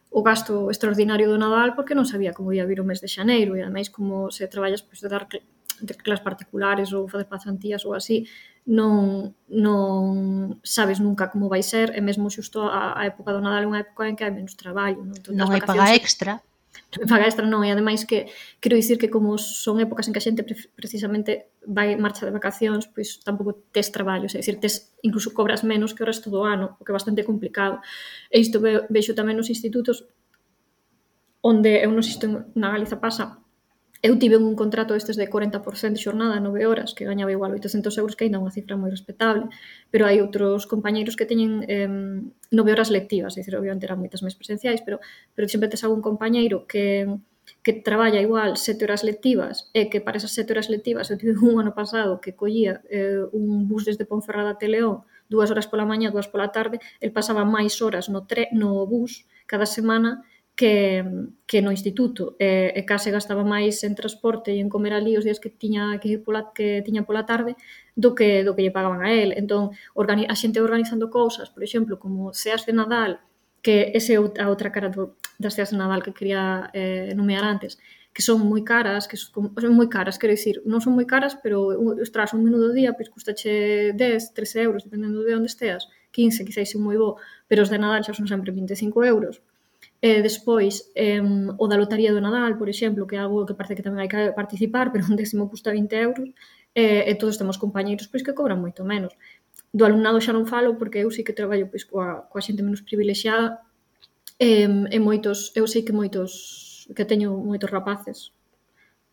o gasto extraordinario do Nadal porque non sabía como ia vir o mes de xaneiro e ademais como se traballas pois, de dar de clases particulares ou facer pasantías ou así, non, non sabes nunca como vai ser e mesmo xusto a, a época do Nadal é unha época en que hai menos traballo. Non, non hai paga extra. Non hai paga extra, non. E ademais que quero dicir que como son épocas en que a xente precisamente vai marcha de vacacións, pois tampouco tes traballo, é dicir, tes, incluso cobras menos que o resto do ano, o que é bastante complicado. E isto ve, vexo tamén nos institutos onde eu non sei se na Galiza pasa. Eu tive un contrato estes de corenta por ciento de xornada, nove horas, que gañaba igual oitocentos euros, que ainda é unha cifra moi respetable, pero hai outros compañeiros que teñen eh, nove horas lectivas, é dicir, obviamente eran moitas máis presenciais, pero, pero sempre tes algún compañeiro que, que traballa igual sete horas lectivas e que para esas sete horas lectivas eu tive un ano pasado que collía eh, un bus desde Ponferrada a Teleón, dúas horas pola mañá, dúas pola tarde, el pasaba máis horas no, tre, no bus cada semana que que, que no instituto, e, e case gastaba máis en transporte e en comer ali os días que tiña que ir pola, que tiña pola tarde do que do que lle pagaban a él. Entón, organi a xente organizando cousas, por exemplo, como ceas de Nadal, que ese é a outra cara do, das ceas de Nadal que quería eh, nomear antes, que son moi caras, que son, son moi caras, quero dicir, non son moi caras, pero ostras, un menú do día, pois custache dez, trece euros, dependendo de onde esteas, quince, quizás un moi bo, pero os de Nadal xa son sempre vinte e cinco euros. E despois, eh, o da lotaría do Nadal, por exemplo, que é algo que parece que tamén hai que participar, pero un décimo custa vinte euros, e, e todos temos compañeiros pois que cobran moito menos. Do alumnado xa non falo, porque eu sí que traballo pois coa, coa xente menos privilexiada, e, e moitos, eu sei que moitos que teño moitos rapaces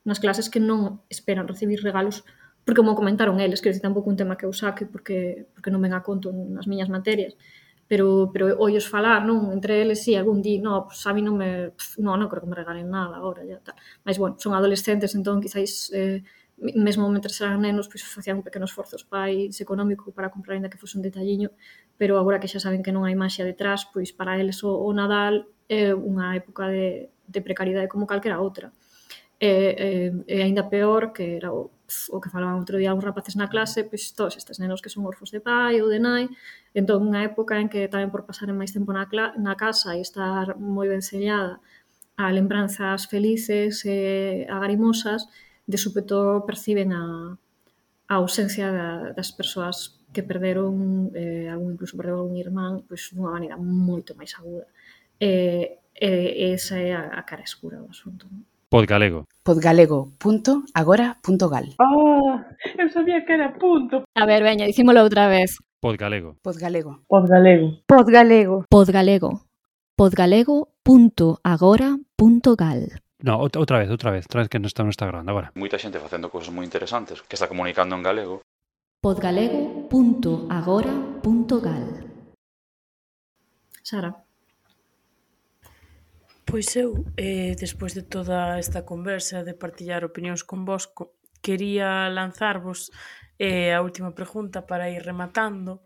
nas clases que non esperan recibir regalos porque mo comentaron eles, que tampouco un tema que eu saque porque, porque non ven a conto nas miñas materias, pero, pero ollos falar, non? Entre eles, si, sí, algún dí, no, pues a mí non me, pff, no, non creo que me regalen nada agora, ya tal. Mas, bueno, son adolescentes, entón, quizáis, eh, mesmo mentre eran nenos, pois pues, facían un pequeno esforzo os pais económico para comprar, ainda que fose un detalliño, pero agora que xa saben que non hai maxia detrás, pois para eles o, o Nadal é unha época de, de precariedade como calquera outra. E, e, e aínda peor, que era o, o que falaban outro día uns rapaces na clase, pois todos estes nenos que son orfos de pai ou de nai, entón unha época en que tamén por pasaren máis tempo na, na casa e estar moi ben sellada a lembranzas felices e agarimosas, de súpeto perciben a, a ausencia da, das persoas que perderon, eh, algún incluso perdeu algún irmán, pois dunha maneira moito máis aguda. E, e esa é a, a cara escura do asunto. Podgalego. podgalego punto agora punto gal. Oh, eu sabía que era punto. A ver, veña, dicímolo outra vez. Podgalego. Podgalego. Podgalego. Podgalego. Podgalego. Podgalego punto agora punto gal. No, outra vez, outra vez, outra vez que non está, non está grande agora. Moita xente facendo cousas moi interesantes, que está comunicando en galego. Podgalego punto agora punto gal. Sara. Pois eu, eh, despois de toda esta conversa de partillar opinións con vos, quería lanzarvos eh, a última pregunta para ir rematando,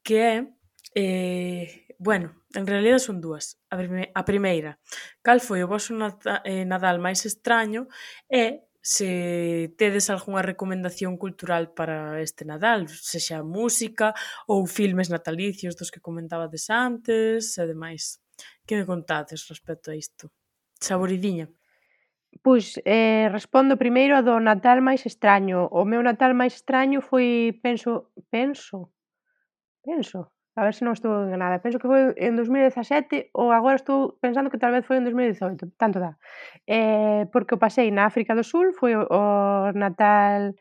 que é, eh, bueno, en realidad son dúas. A, prime, a primeira, cal foi o vosso Nadal máis extraño e se tedes algunha recomendación cultural para este Nadal, sexa música ou filmes natalicios dos que comentabades antes e demais. Que me contades respecto a isto? Saboridiña. Pois eh, respondo primeiro a do Natal máis extraño. O meu Natal máis extraño foi, penso, penso, penso, a ver se non estou enganada, penso que foi en dos mil dezasete ou agora estou pensando que tal vez foi en dos mil dezoito, tanto dá. Eh, porque o pasei na África do Sul, foi o, o Natal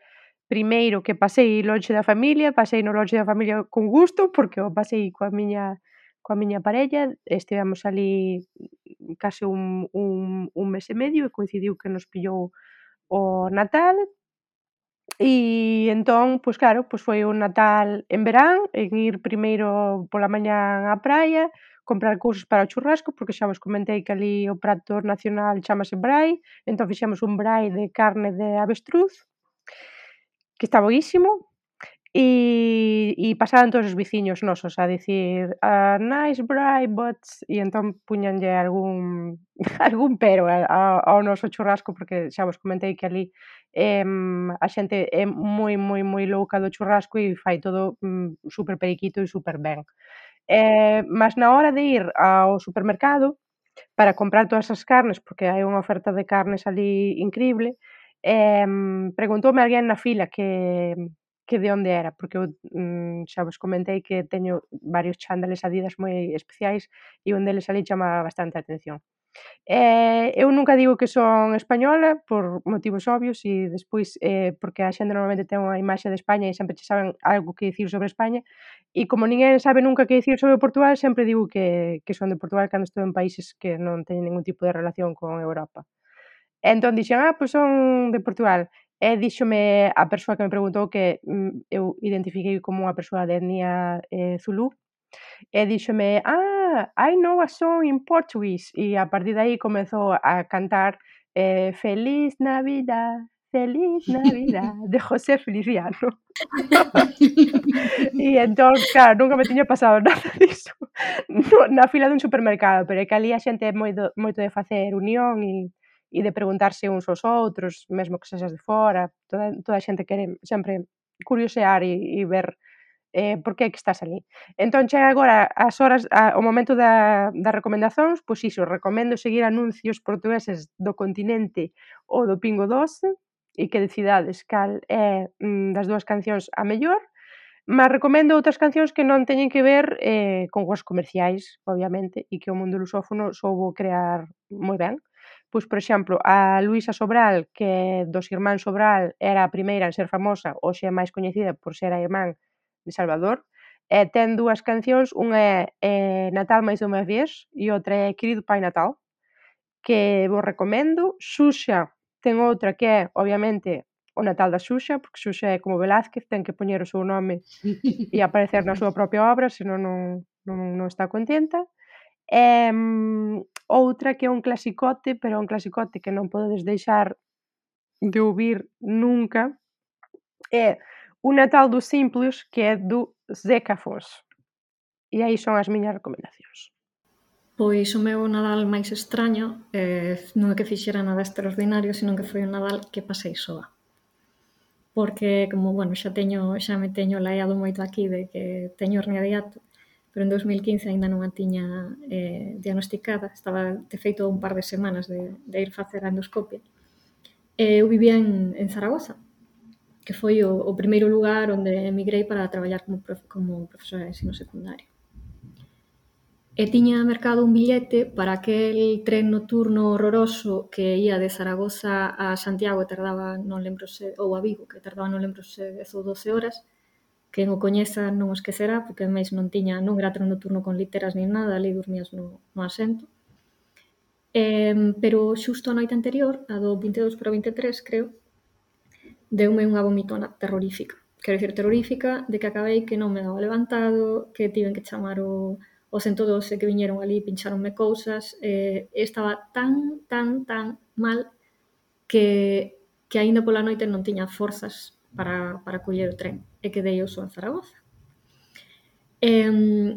primeiro que pasei lonxe da familia, pasei no lonxe da familia con gusto, porque o pasei coa miña coa miña parella, estivemos ali case un, un, un mes e medio e coincidiu que nos pillou o Natal e entón, pois claro, pois foi un Natal en verán, en ir primeiro pola mañá á praia, comprar cousas para o churrasco, porque xa vos comentei que ali o prato nacional chamase brai, entón fixemos un brai de carne de avestruz, que está boísimo, e, e pasaban todos os veciños nosos a dicir a nice brai, but... e entón puñanlle algún algún pero a, ao noso churrasco, porque xa vos comentei que ali eh, a xente é moi, moi, moi louca do churrasco e fai todo mm, super periquito e super ben. Eh, mas na hora de ir ao supermercado para comprar todas as carnes, porque hai unha oferta de carnes ali increíble, eh, preguntoume alguén na fila que que de onde era, porque eu mm, xa vos comentei que teño varios chándales Adidas moi especiais e un deles ali chama bastante a atención. Eh, eu nunca digo que son española por motivos obvios e despois eh, porque a xente normalmente ten unha imaxe de España e sempre che saben algo que dicir sobre España e como ninguén sabe nunca que dicir sobre Portugal, sempre digo que, que son de Portugal cando estou en países que non teñen ningún tipo de relación con Europa. Entón dixen, ah, pois son de Portugal. E díxome a persoa que me preguntou que mm, eu identifiquei como unha persoa de etnia eh, zulú, e díxome, ah, I know a song in Portuguese, e a partir de aí comezou a cantar eh, Feliz Navidad, Feliz Navidad, de José Feliciano. E entón, claro, nunca me tiña pasado nada diso na fila dun supermercado, pero é que ali a xente é moito, moito de facer unión e, e de preguntarse uns aos outros, mesmo que sexas de fora, toda, toda a xente quere sempre curiosear e, e ver eh, por que é que estás ali. Entón chega agora as horas, a, o momento da, das recomendacións, pois iso, recomendo seguir anuncios portugueses do Continente ou do Pingo Doce e que decidades cal é mm, das dúas cancións a mellor, mas recomendo outras cancións que non teñen que ver eh, con os comerciais, obviamente, e que o mundo lusófono soubo crear moi ben. Pois, por exemplo, a Luísa Sobral, que dos irmáns Sobral era a primeira en ser famosa, hoxe é máis coñecida por ser a irmán de Salvador, e ten dúas cancións, unha é eh, Natal máis unha vez e outra é Querido Pai Natal, que vos recomendo. Xuxa ten outra que é, obviamente, o Natal da Xuxa, porque Xuxa é como Velázquez, ten que poñer o seu nome e aparecer na súa propia obra, senón non, non, non está contenta. E mm, outra que é un clasicote, pero é un clasicote que non podedes deixar de ouvir nunca, é Un Natal dos Simples, que é do Zeca Afonso. E aí son as miñas recomendacións. Pois o meu Nadal máis extraño eh, non é que fixera nada extraordinario, senón que foi un Nadal que pasei soa. Porque, como, bueno, xa teño, xa me teño laiado moito aquí de que teño hernia de hiato, pero en dos mil quince aínda non a tiña eh, diagnosticada, estaba de feito un par de semanas de, de ir facer a endoscopia. E eu vivía en, en Zaragoza, que foi o, o primeiro lugar onde emigrei para traballar como, prof, como profesora de ensino secundario. E tiña mercado un billete para aquel tren nocturno horroroso que ia de Zaragoza a Santiago e tardaba, non lembro se, ou a Vigo, que tardaba non lembro se dez ou doce horas. Quen o coñeza non o esquecerá, porque ademais non tiña, non era tren nocturno con literas nin nada, ali dormías no, no asento. Eh, pero xusto a noite anterior, a do vinte e dous para o vinte e tres, creo, deume unha vomitona terrorífica. Quero dicir, terrorífica, de que acabei que non me daba levantado, que tiven que chamar o... o cento doce que viñeron ali, pincháronme cousas, eh, estaba tan, tan, tan mal que, que aínda pola noite non tiña forzas para, para coller o tren, e quedei eu só en Zaragoza. E,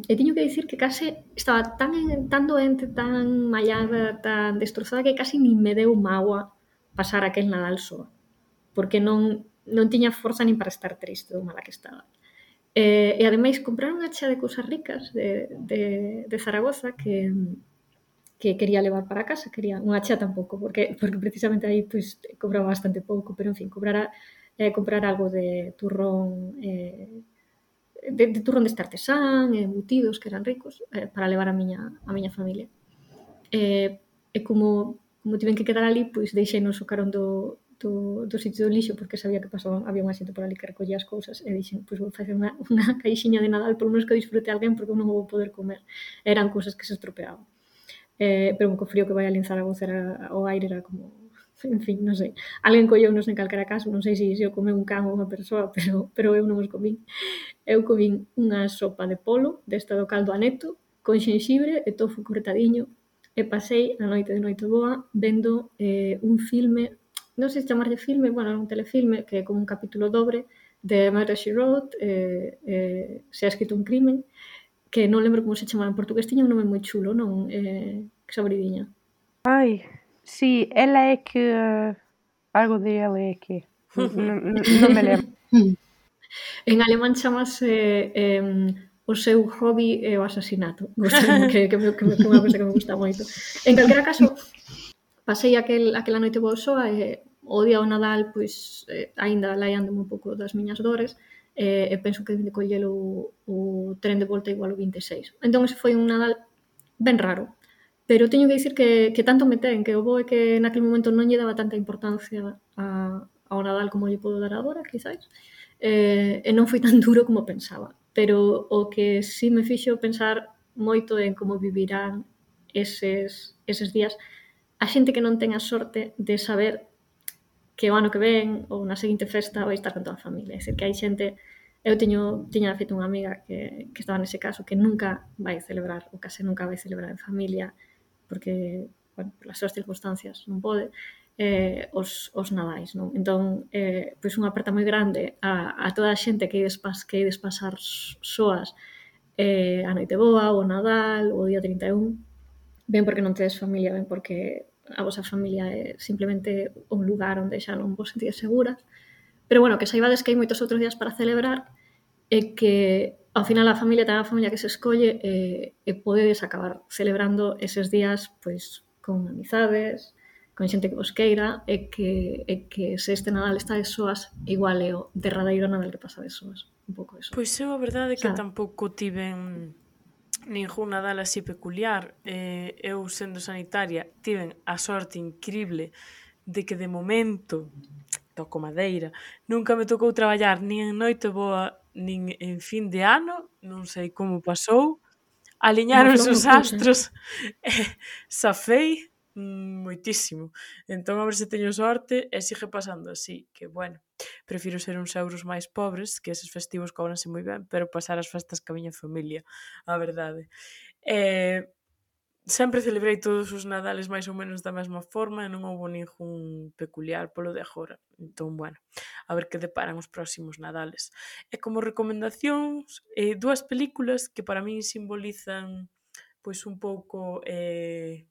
e tiño que dicir que case estaba tan, tan doente, tan mallada, tan destrozada, que casi nin me deu mágoa pasar aquel Nadal soa, porque non, non tiña forza nin para estar triste do mala que estaba. E, e ademais compraron unha chea de cousas ricas de, de, de Zaragoza que, que quería levar para casa, quería unha chea tampouco, porque, porque precisamente aí pues, cobraba bastante pouco, pero en fin, cobrara, eh, comprar algo de turrón, eh, de, de turrón deste artesán, embutidos que eran ricos, eh, para levar a miña, a miña familia. E, e como, como tiven que quedar ali, pois deixei-nos o carón do, do, do sitio do lixo, porque sabía que pasaba, había unha xente por ali que recollía as cousas, e dixen, pois vou facer unha, unha caixiña de Nadal, por menos que disfrute alguén, porque eu non o vou poder comer. Eran cousas que se estropeaban. Eh, pero co frío que vai ali en Zaragoza, era, o aire era como, en fin, non sei. Alguén colleu nos en calquera caso, non sei se, se o comeu un can ou unha persoa, pero, pero eu non os comín. Eu comín unha sopa de polo, desta do caldo aneto, con xenxibre e tofu cortadiño, e pasei a noite de noite boa vendo eh, un filme, non sei se chamarlle filme, bueno, un telefilme, que é como un capítulo dobre de Murder, She Wrote, eh, eh, se ha escrito un crimen, que non lembro como se chamaba en portugués, tiña un nome moi chulo, non? Eh, que sabridiña. Ai, si, ela é que... Uh, algo de ela é que... non, non, non me lembro. En alemán chamase eh, o seu hobby é o asasinato. Gostame, que, que, que, que, que unha cosa que me gusta moito. En calquera caso, pasei aquel, aquela noite boa soa e o día do Nadal, pois, eh, aínda laiándome un pouco das miñas dores, eh, e penso que de collelo o, o tren de volta igual o vinte e seis. Entón, ese foi un Nadal ben raro. Pero teño que dicir que, que tanto me ten, que o bo é que naquele momento non lle daba tanta importancia a, ao Nadal como lle podo dar agora, quizáis, eh, e non foi tan duro como pensaba. Pero o que sí me fixo pensar moito en como vivirán eses, eses días a xente que non ten a sorte de saber que o ano que ven ou na seguinte festa vai estar con toda a familia. É dicir, que hai xente... Eu teño, tiña feito unha amiga que, que estaba nese caso, que nunca vai celebrar, ou case nunca vai celebrar en familia, porque, bueno, por as súas circunstancias non pode. eh, os, os nadais, non? Entón, eh, pois unha aperta moi grande a, a toda a xente que ides, pas, que ides pasar soas eh, a noite boa, o Nadal, o día trinta e un, ben porque non tedes familia, ben porque a vosa familia é simplemente un lugar onde xa non vos sentides seguras. Pero bueno, que saibades que hai moitos outros días para celebrar e que ao final a familia ten a familia que se escolle e, e podedes acabar celebrando eses días pois con amizades, con xente que vos queira e que, e que se este Nadal estades soas igual é o derradeiro Nadal que pasades soas. Un pouco eso. Pois eu a verdade é que Sabe? tampouco tiven ningún Nadal así peculiar. Eh, eu, sendo sanitaria, tiven a sorte increíble de que de momento, toco madeira, nunca me tocou traballar nin en noite boa nin en fin de ano, non sei como pasou, aliñáronse os astros e safei moitísimo. Entón, a ver se teño sorte e sigue pasando así, que bueno, prefiro ser uns euros máis pobres, que eses festivos cobranse moi ben, pero pasar as festas ca miña familia, a verdade. Eh, sempre celebrei todos os Nadales máis ou menos da mesma forma e non houbo ningún peculiar polo de agora. Entón, bueno, a ver que deparan os próximos Nadales. E como recomendacións, eh, dúas películas que para min simbolizan pois un pouco eh,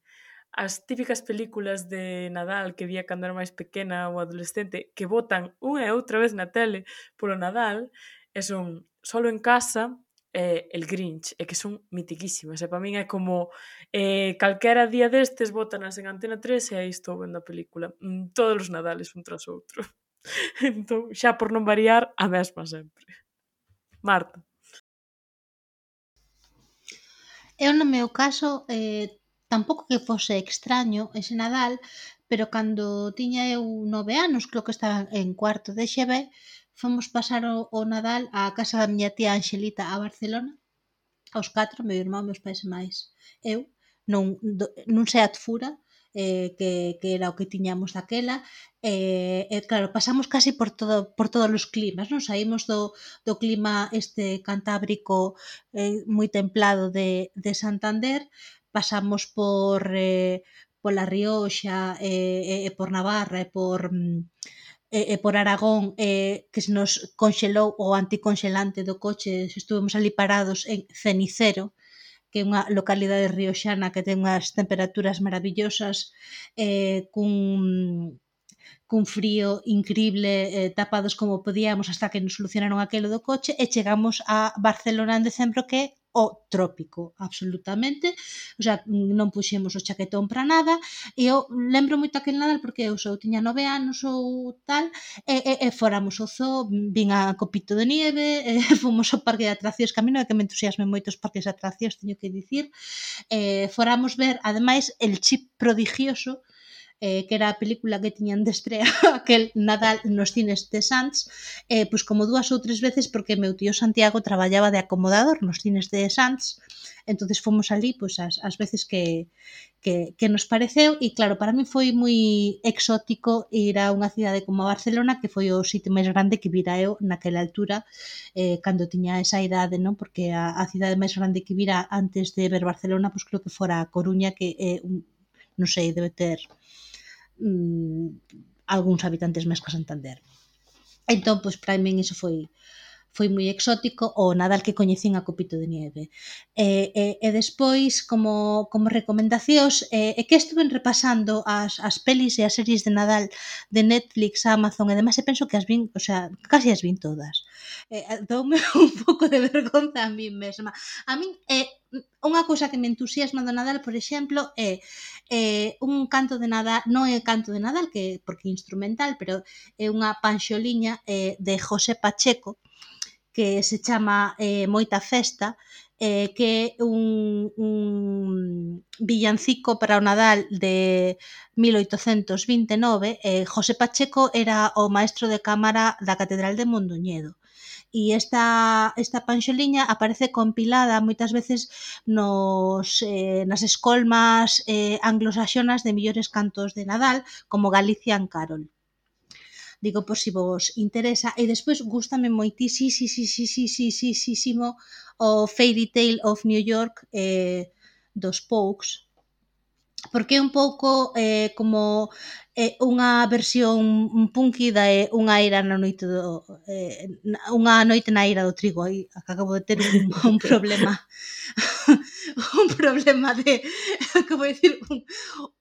as típicas películas de Nadal que vía cando era máis pequena ou adolescente que botan unha e outra vez na tele polo Nadal e son Solo en casa e El Grinch, e que son mitiquísimas e para min é como eh, calquera día destes botanas en Antena tres e aí estou vendo a película mm, todos os Nadales un tras outro. Entón, xa por non variar, a mesma sempre. Marta. Eu no meu caso eh, tampouco que fose extraño ese Nadal, pero cando tiña eu nove anos, creo que estaba en cuarto de X B, fomos pasar o, o Nadal á casa da miña tía Anxelita a Barcelona, aos catro, meu irmán, meus pais e máis eu, nun, do, nun Seat Fura, eh, que, que era o que tiñamos daquela, e, eh, claro, pasamos casi por todo por todos os climas, non? Saímos do, do clima este cantábrico eh, moi templado de, de Santander, pasamos por eh, pola Rioxa e, e, e por Navarra e por e, e por Aragón eh, que se nos conxelou o anticonxelante do coche, estuvemos ali parados en Cenicero, que é unha localidade rioxana que ten unhas temperaturas maravillosas eh, cun cun frío increíble, eh, tapados como podíamos hasta que nos solucionaron aquelo do coche e chegamos a Barcelona en decembro, que é o trópico, absolutamente, o sea, non puxemos o chaquetón para nada, e eu lembro moito aquel Nadal porque eu só tiña nove anos ou tal, e, e, e fóramos ao zoo, vin a Copito de Nieve, e fomos ao parque de atraccións, que a mí non é que me entusiasme moito os parques de atraccións, teño que dicir, e fóramos ver, ademais, El Chip Prodigioso, eh, que era a película que tiñan de estrea aquel Nadal nos cines de Sants, eh, pois como dúas ou tres veces porque meu tío Santiago traballaba de acomodador nos cines de Sants, entonces fomos ali pois as, as veces que, que, que nos pareceu, e claro, para mí foi moi exótico ir a unha cidade como Barcelona, que foi o sitio máis grande que vira eu naquela altura, eh, cando tiña esa idade, non? Porque a, a cidade máis grande que vira antes de ver Barcelona, pois creo que fora a Coruña, que é un, non sei, debe ter Mm, algúns habitantes máis que Santander. Entón, pois, para min iso foi foi moi exótico, o Nadal que coñecín a Copito de Nieve. E, e, e despois, como, como recomendacións, e, e que estuven repasando as, as pelis e as series de Nadal de Netflix, Amazon e demais, e penso que as vin, o sea, casi as vin todas. E, doume un pouco de vergonza a mí mesma. A min, eh, unha cousa que me entusiasma do Nadal, por exemplo, é eh, un canto de Nadal, non é canto de Nadal, que porque é instrumental, pero é unha panxoliña eh, de José Pacheco, que se chama eh, Moita Festa, eh, que é un, un villancico para o Nadal de mil oitocentos vinte e nove. Eh, José Pacheco era o maestro de cámara da Catedral de Mondoñedo. E esta, esta panxoliña aparece compilada moitas veces nos, eh, nas escolmas eh, anglosaxonas de millores cantos de Nadal, como Galician Carol. Digo por si vos interesa, e despois gústame moitísimo o Fairy Tale of New York eh, dos Pogues, porque é un pouco eh, como eh, unha versión punky da eh, unha eira na noite do eh, unha noite na eira do trigo. Aí acabo de ter un, un problema un problema de acabo de decir un,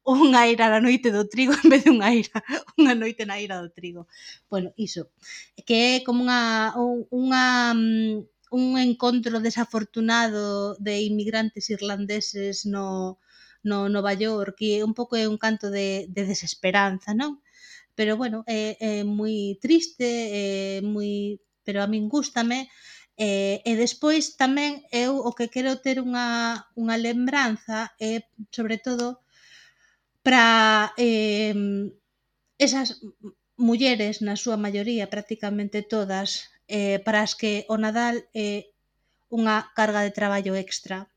unha eira na noite do trigo en vez de unha eira unha noite na eira do trigo. Bueno, iso que é como unha unha un encontro desafortunado de inmigrantes irlandeses no no Nova York, que un pouco é un canto de, de desesperanza, non? Pero bueno, é, é moi triste, é moi, pero a min gústame, e, e despois tamén eu o que quero ter unha, unha lembranza é, sobre todo, para eh, esas mulleres, na súa maioría, prácticamente todas, eh, para as que o Nadal é unha carga de traballo extra,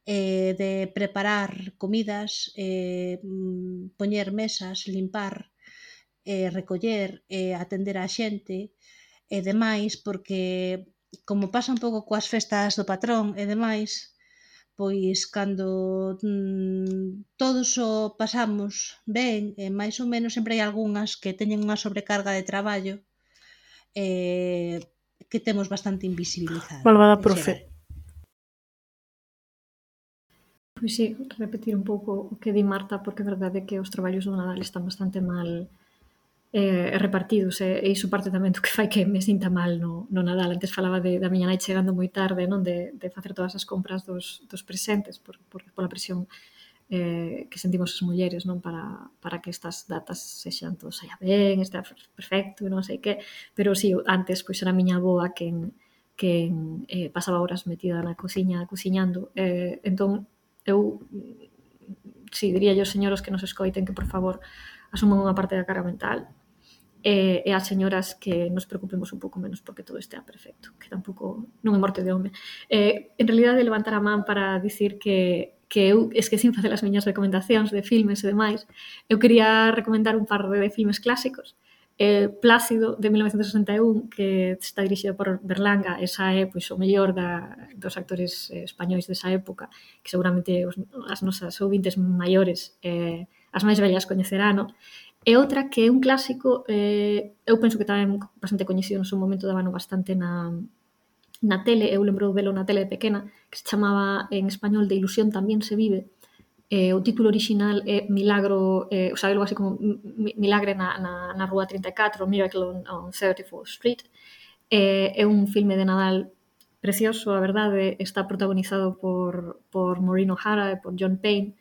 eh, de preparar comidas, eh, poñer mesas, limpar, eh, recoller, eh, atender a xente e demais, porque como pasa un pouco coas festas do patrón e demais, pois cando mm, todos o pasamos ben, e máis ou menos sempre hai algunhas que teñen unha sobrecarga de traballo eh, que temos bastante invisibilizado. Malvada profe. Pois sí, repetir un pouco o que di Marta, porque é verdade que os traballos do Nadal están bastante mal eh, repartidos, e, e iso parte tamén do que fai que me sinta mal no, no Nadal. Antes falaba de, da miña nai chegando moi tarde, non, de, de facer todas as compras dos, dos presentes, por, por, pola presión eh, que sentimos as mulleres, non, para, para que estas datas sexan todo saia ben, este perfecto, non sei que, pero si, sí, antes pois era a miña avoa quen, quen eh, pasaba horas metida na cociña cociñando, eh, entón eu si diría aos señoros que nos escoiten que por favor asuman unha parte da carga mental e, e as señoras que nos preocupemos un pouco menos porque todo estea perfecto, que tampouco non é morte de home. Eh, en realidade levantar a man para dicir que que eu esquecín facer as miñas recomendacións de filmes e demais. Eu quería recomendar un par de filmes clásicos. Eh, Plácido, de mil novecentos sesenta e un, que está dirixido por Berlanga, esa é pois, o mellor da, dos actores eh, españois desa época, que seguramente os, as nosas ouvintes maiores, eh, as máis vellas coñecerán, e outra que é un clásico, eh, eu penso que tamén bastante coñecido no seu momento, dábano bastante na, na tele, eu lembro velo na tele de pequena, que se chamaba en español De ilusión tamén se vive. Eh, o título original é Milagro, eh, o sea, algo así como Milagre na, na, na Rúa trinta e catro, Miracle on, on thirty-fourth Street. Eh, é un filme de Nadal precioso, a verdade, está protagonizado por, por Maureen O'Hara e por John Payne,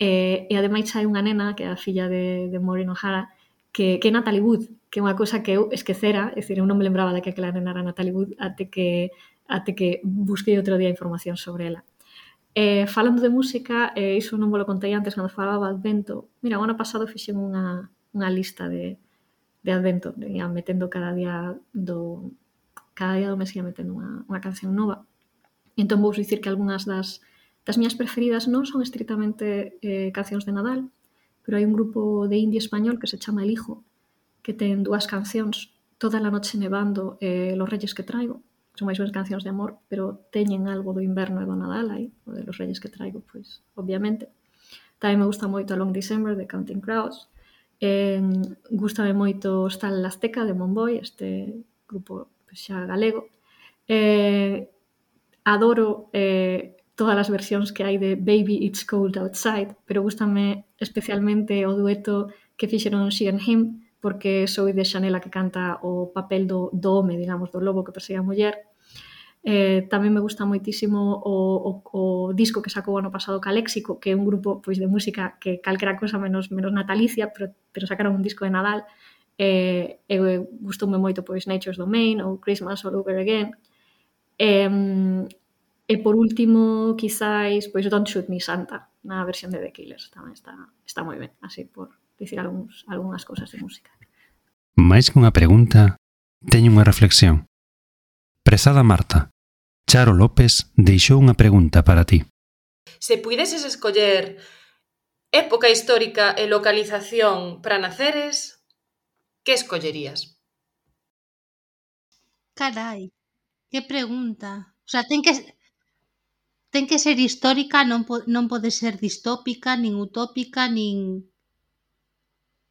eh, e ademais hai unha nena, que é a filla de, de Maureen O'Hara, que, que é Natalie Wood, que é unha cousa que eu esquecera, é dicir, eu non me lembraba de que aquela nena era Natalie Wood até que, até que busquei outro día información sobre ela. Eh, falando de música, eh, iso non vos lo contei antes cando falaba Advento. Mira, o ano pasado fixen unha, unha lista de, de Advento, ia metendo cada día do cada día do mes ia metendo unha, unha canción nova. Entón vou dicir que algunhas das, das miñas preferidas non son estritamente eh, cancións de Nadal, pero hai un grupo de indie español que se chama El Hijo, que ten dúas cancións, Toda la noche nevando e eh, Los reyes que traigo. Son máis unhas cancións de amor, pero teñen algo do inverno e do Nadal aí, o de Los reyes que traigo, pois, obviamente. Tamén me gusta moito A Long December de Counting Crows. Eh, gústame moito Hostal La Azteca de Monboy, este grupo pois, xa galego. Eh, adoro eh, todas as versións que hai de Baby It's Cold Outside, pero gústame especialmente o dueto que fixeron She and Him, porque Zoe de Chanel a que canta o papel do, do home, digamos, do lobo que persegue a muller. Eh, tamén me gusta moitísimo o, o, o disco que sacou o ano pasado Caléxico, que é un grupo pois, de música que calquera cosa menos, menos natalicia, pero, pero sacaron un disco de Nadal. Eh, e gustoume moito pois, Nature's Domain ou Christmas All Over Again. Eh, e por último, quizáis, pois Don't Shoot Me Santa, na versión de The Killers, tamén está, está moi ben, así por dicir algúns, algunhas cousas de música. Mais que unha pregunta, teño unha reflexión. Prezada Marta, Charo López deixou unha pregunta para ti. Se puideses escoller época histórica e localización para naceres, que escollerías? Carai, que pregunta. O sea, ten que... ten que ser histórica, non, po, non pode ser distópica, nin utópica, nin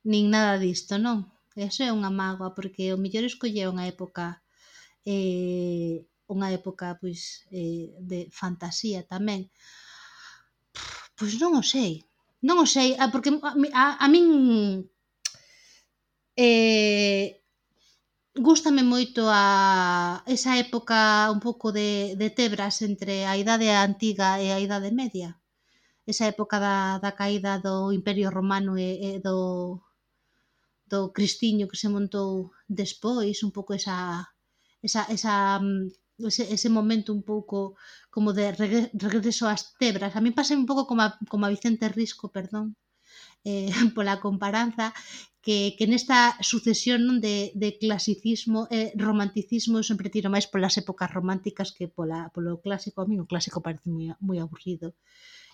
nin nada disto, non? Eso é unha mágoa, porque o mellor escolleu unha época eh, unha época pois eh, de fantasía tamén. Pois non o sei, non o sei, porque a, a, a min eh, gústame moito a esa época un pouco de, de tebras entre a Idade Antiga e a Idade Media. Esa época da, da caída do Imperio Romano e, e do, do Cristiño que se montou despois, un pouco esa, esa, esa ese, ese momento un pouco como de regreso ás tebras. A mí pasa un pouco como a, como a Vicente Risco, perdón, eh, pola comparanza, que, que nesta sucesión non de, de clasicismo e eh, romanticismo eu sempre tiro máis polas épocas románticas que pola, polo clásico. A mí o clásico parece moi, moi aburrido.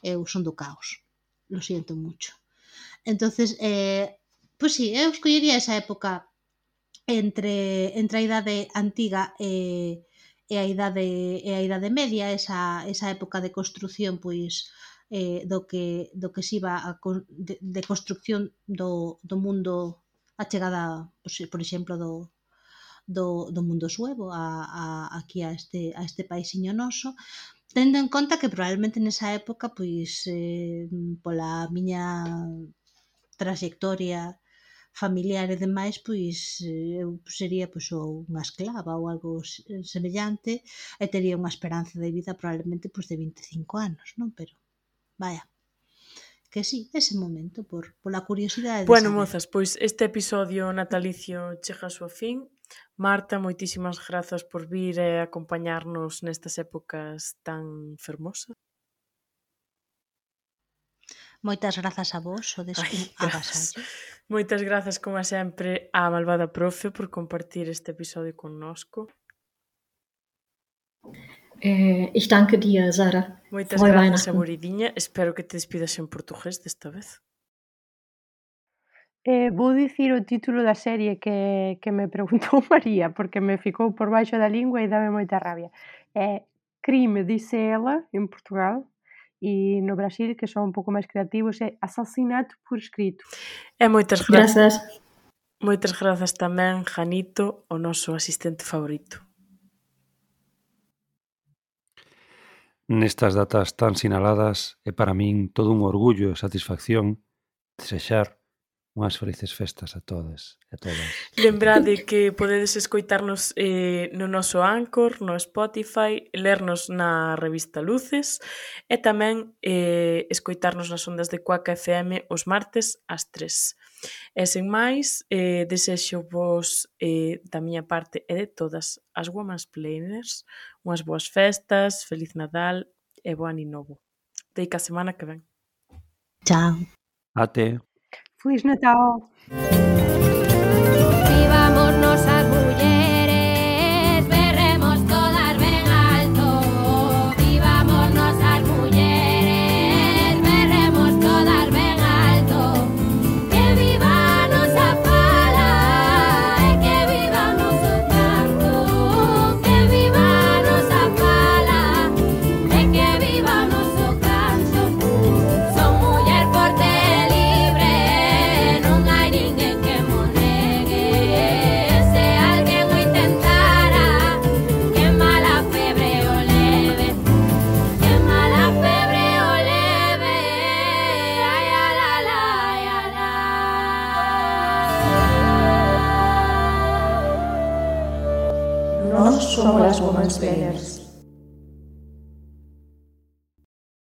Eu son do caos, lo siento mucho. Entonces, eh, pois pues sí, eu escollería esa época entre, entre a idade antiga e, e a idade e a idade media, esa, esa época de construción, pois eh, do que do que se iba a, de, de construcción do, do mundo, a chegada, pois, por exemplo, do, do, do mundo suevo a, a, aquí a este, a este paisiño noso, tendo en conta que probablemente nesa época, pois eh, pola miña trayectoria familiar e demais, pois eu sería pois unha esclava ou algo semellante e tería unha esperanza de vida probablemente pois de vinte e cinco anos, non? Pero, vaya, que sí, ese momento, por pola curiosidade de bueno, saber. mozas, pois este episodio natalicio chega a súa fin. Marta, moitísimas grazas por vir e acompañarnos nestas épocas tan fermosas. Moitas grazas a vos, sodes un agasallo. Moitas grazas, como sempre, á malvada profe por compartir este episodio connosco. Eh, ich danke dir, Sara. Moitas grazas, aboridiña. Espero que te despidas en portugués desta vez. Eh, vou dicir o título da serie que, que me preguntou María, porque me ficou por baixo da lingua e dame moita rabia. É Crime, dice ela, en Portugal, e no Brasil, que son un pouco máis creativos, é Assassinato por escrito. E moitas grazas. Grazas. Moitas grazas tamén, Janito, o noso asistente favorito. Nestas datas tan sinaladas é para min todo un orgullo e satisfacción desexar unhas felices festas a todas e a todas. Lembrade que podedes escoitarnos eh, no noso Anchor, no Spotify, lernos na revista Luces e tamén eh, escoitarnos nas ondas de Cuaca F M os martes ás tres. E sen máis, eh, desexo vos eh, da miña parte e de todas as Womansplainers unhas boas festas, feliz Nadal e bo ano novo. Deica a semana que ven. Chao. Ate. Feliz Natal. Vivámonos as mulleres, berremos todas ben alto. Vivámonos as mulleres, berremos todas ben alto. Que viva a nosa fala e que viva o noso canto. Que viva a nosa fala e que viva o noso canto. Son muller forte e libre, non hai ninguén que mo negue. Se alguén o intentara, que mala febre o leve, que mala febre o leve. Ai, ala, ala, ai, ala. Nós somos as Womansplainers.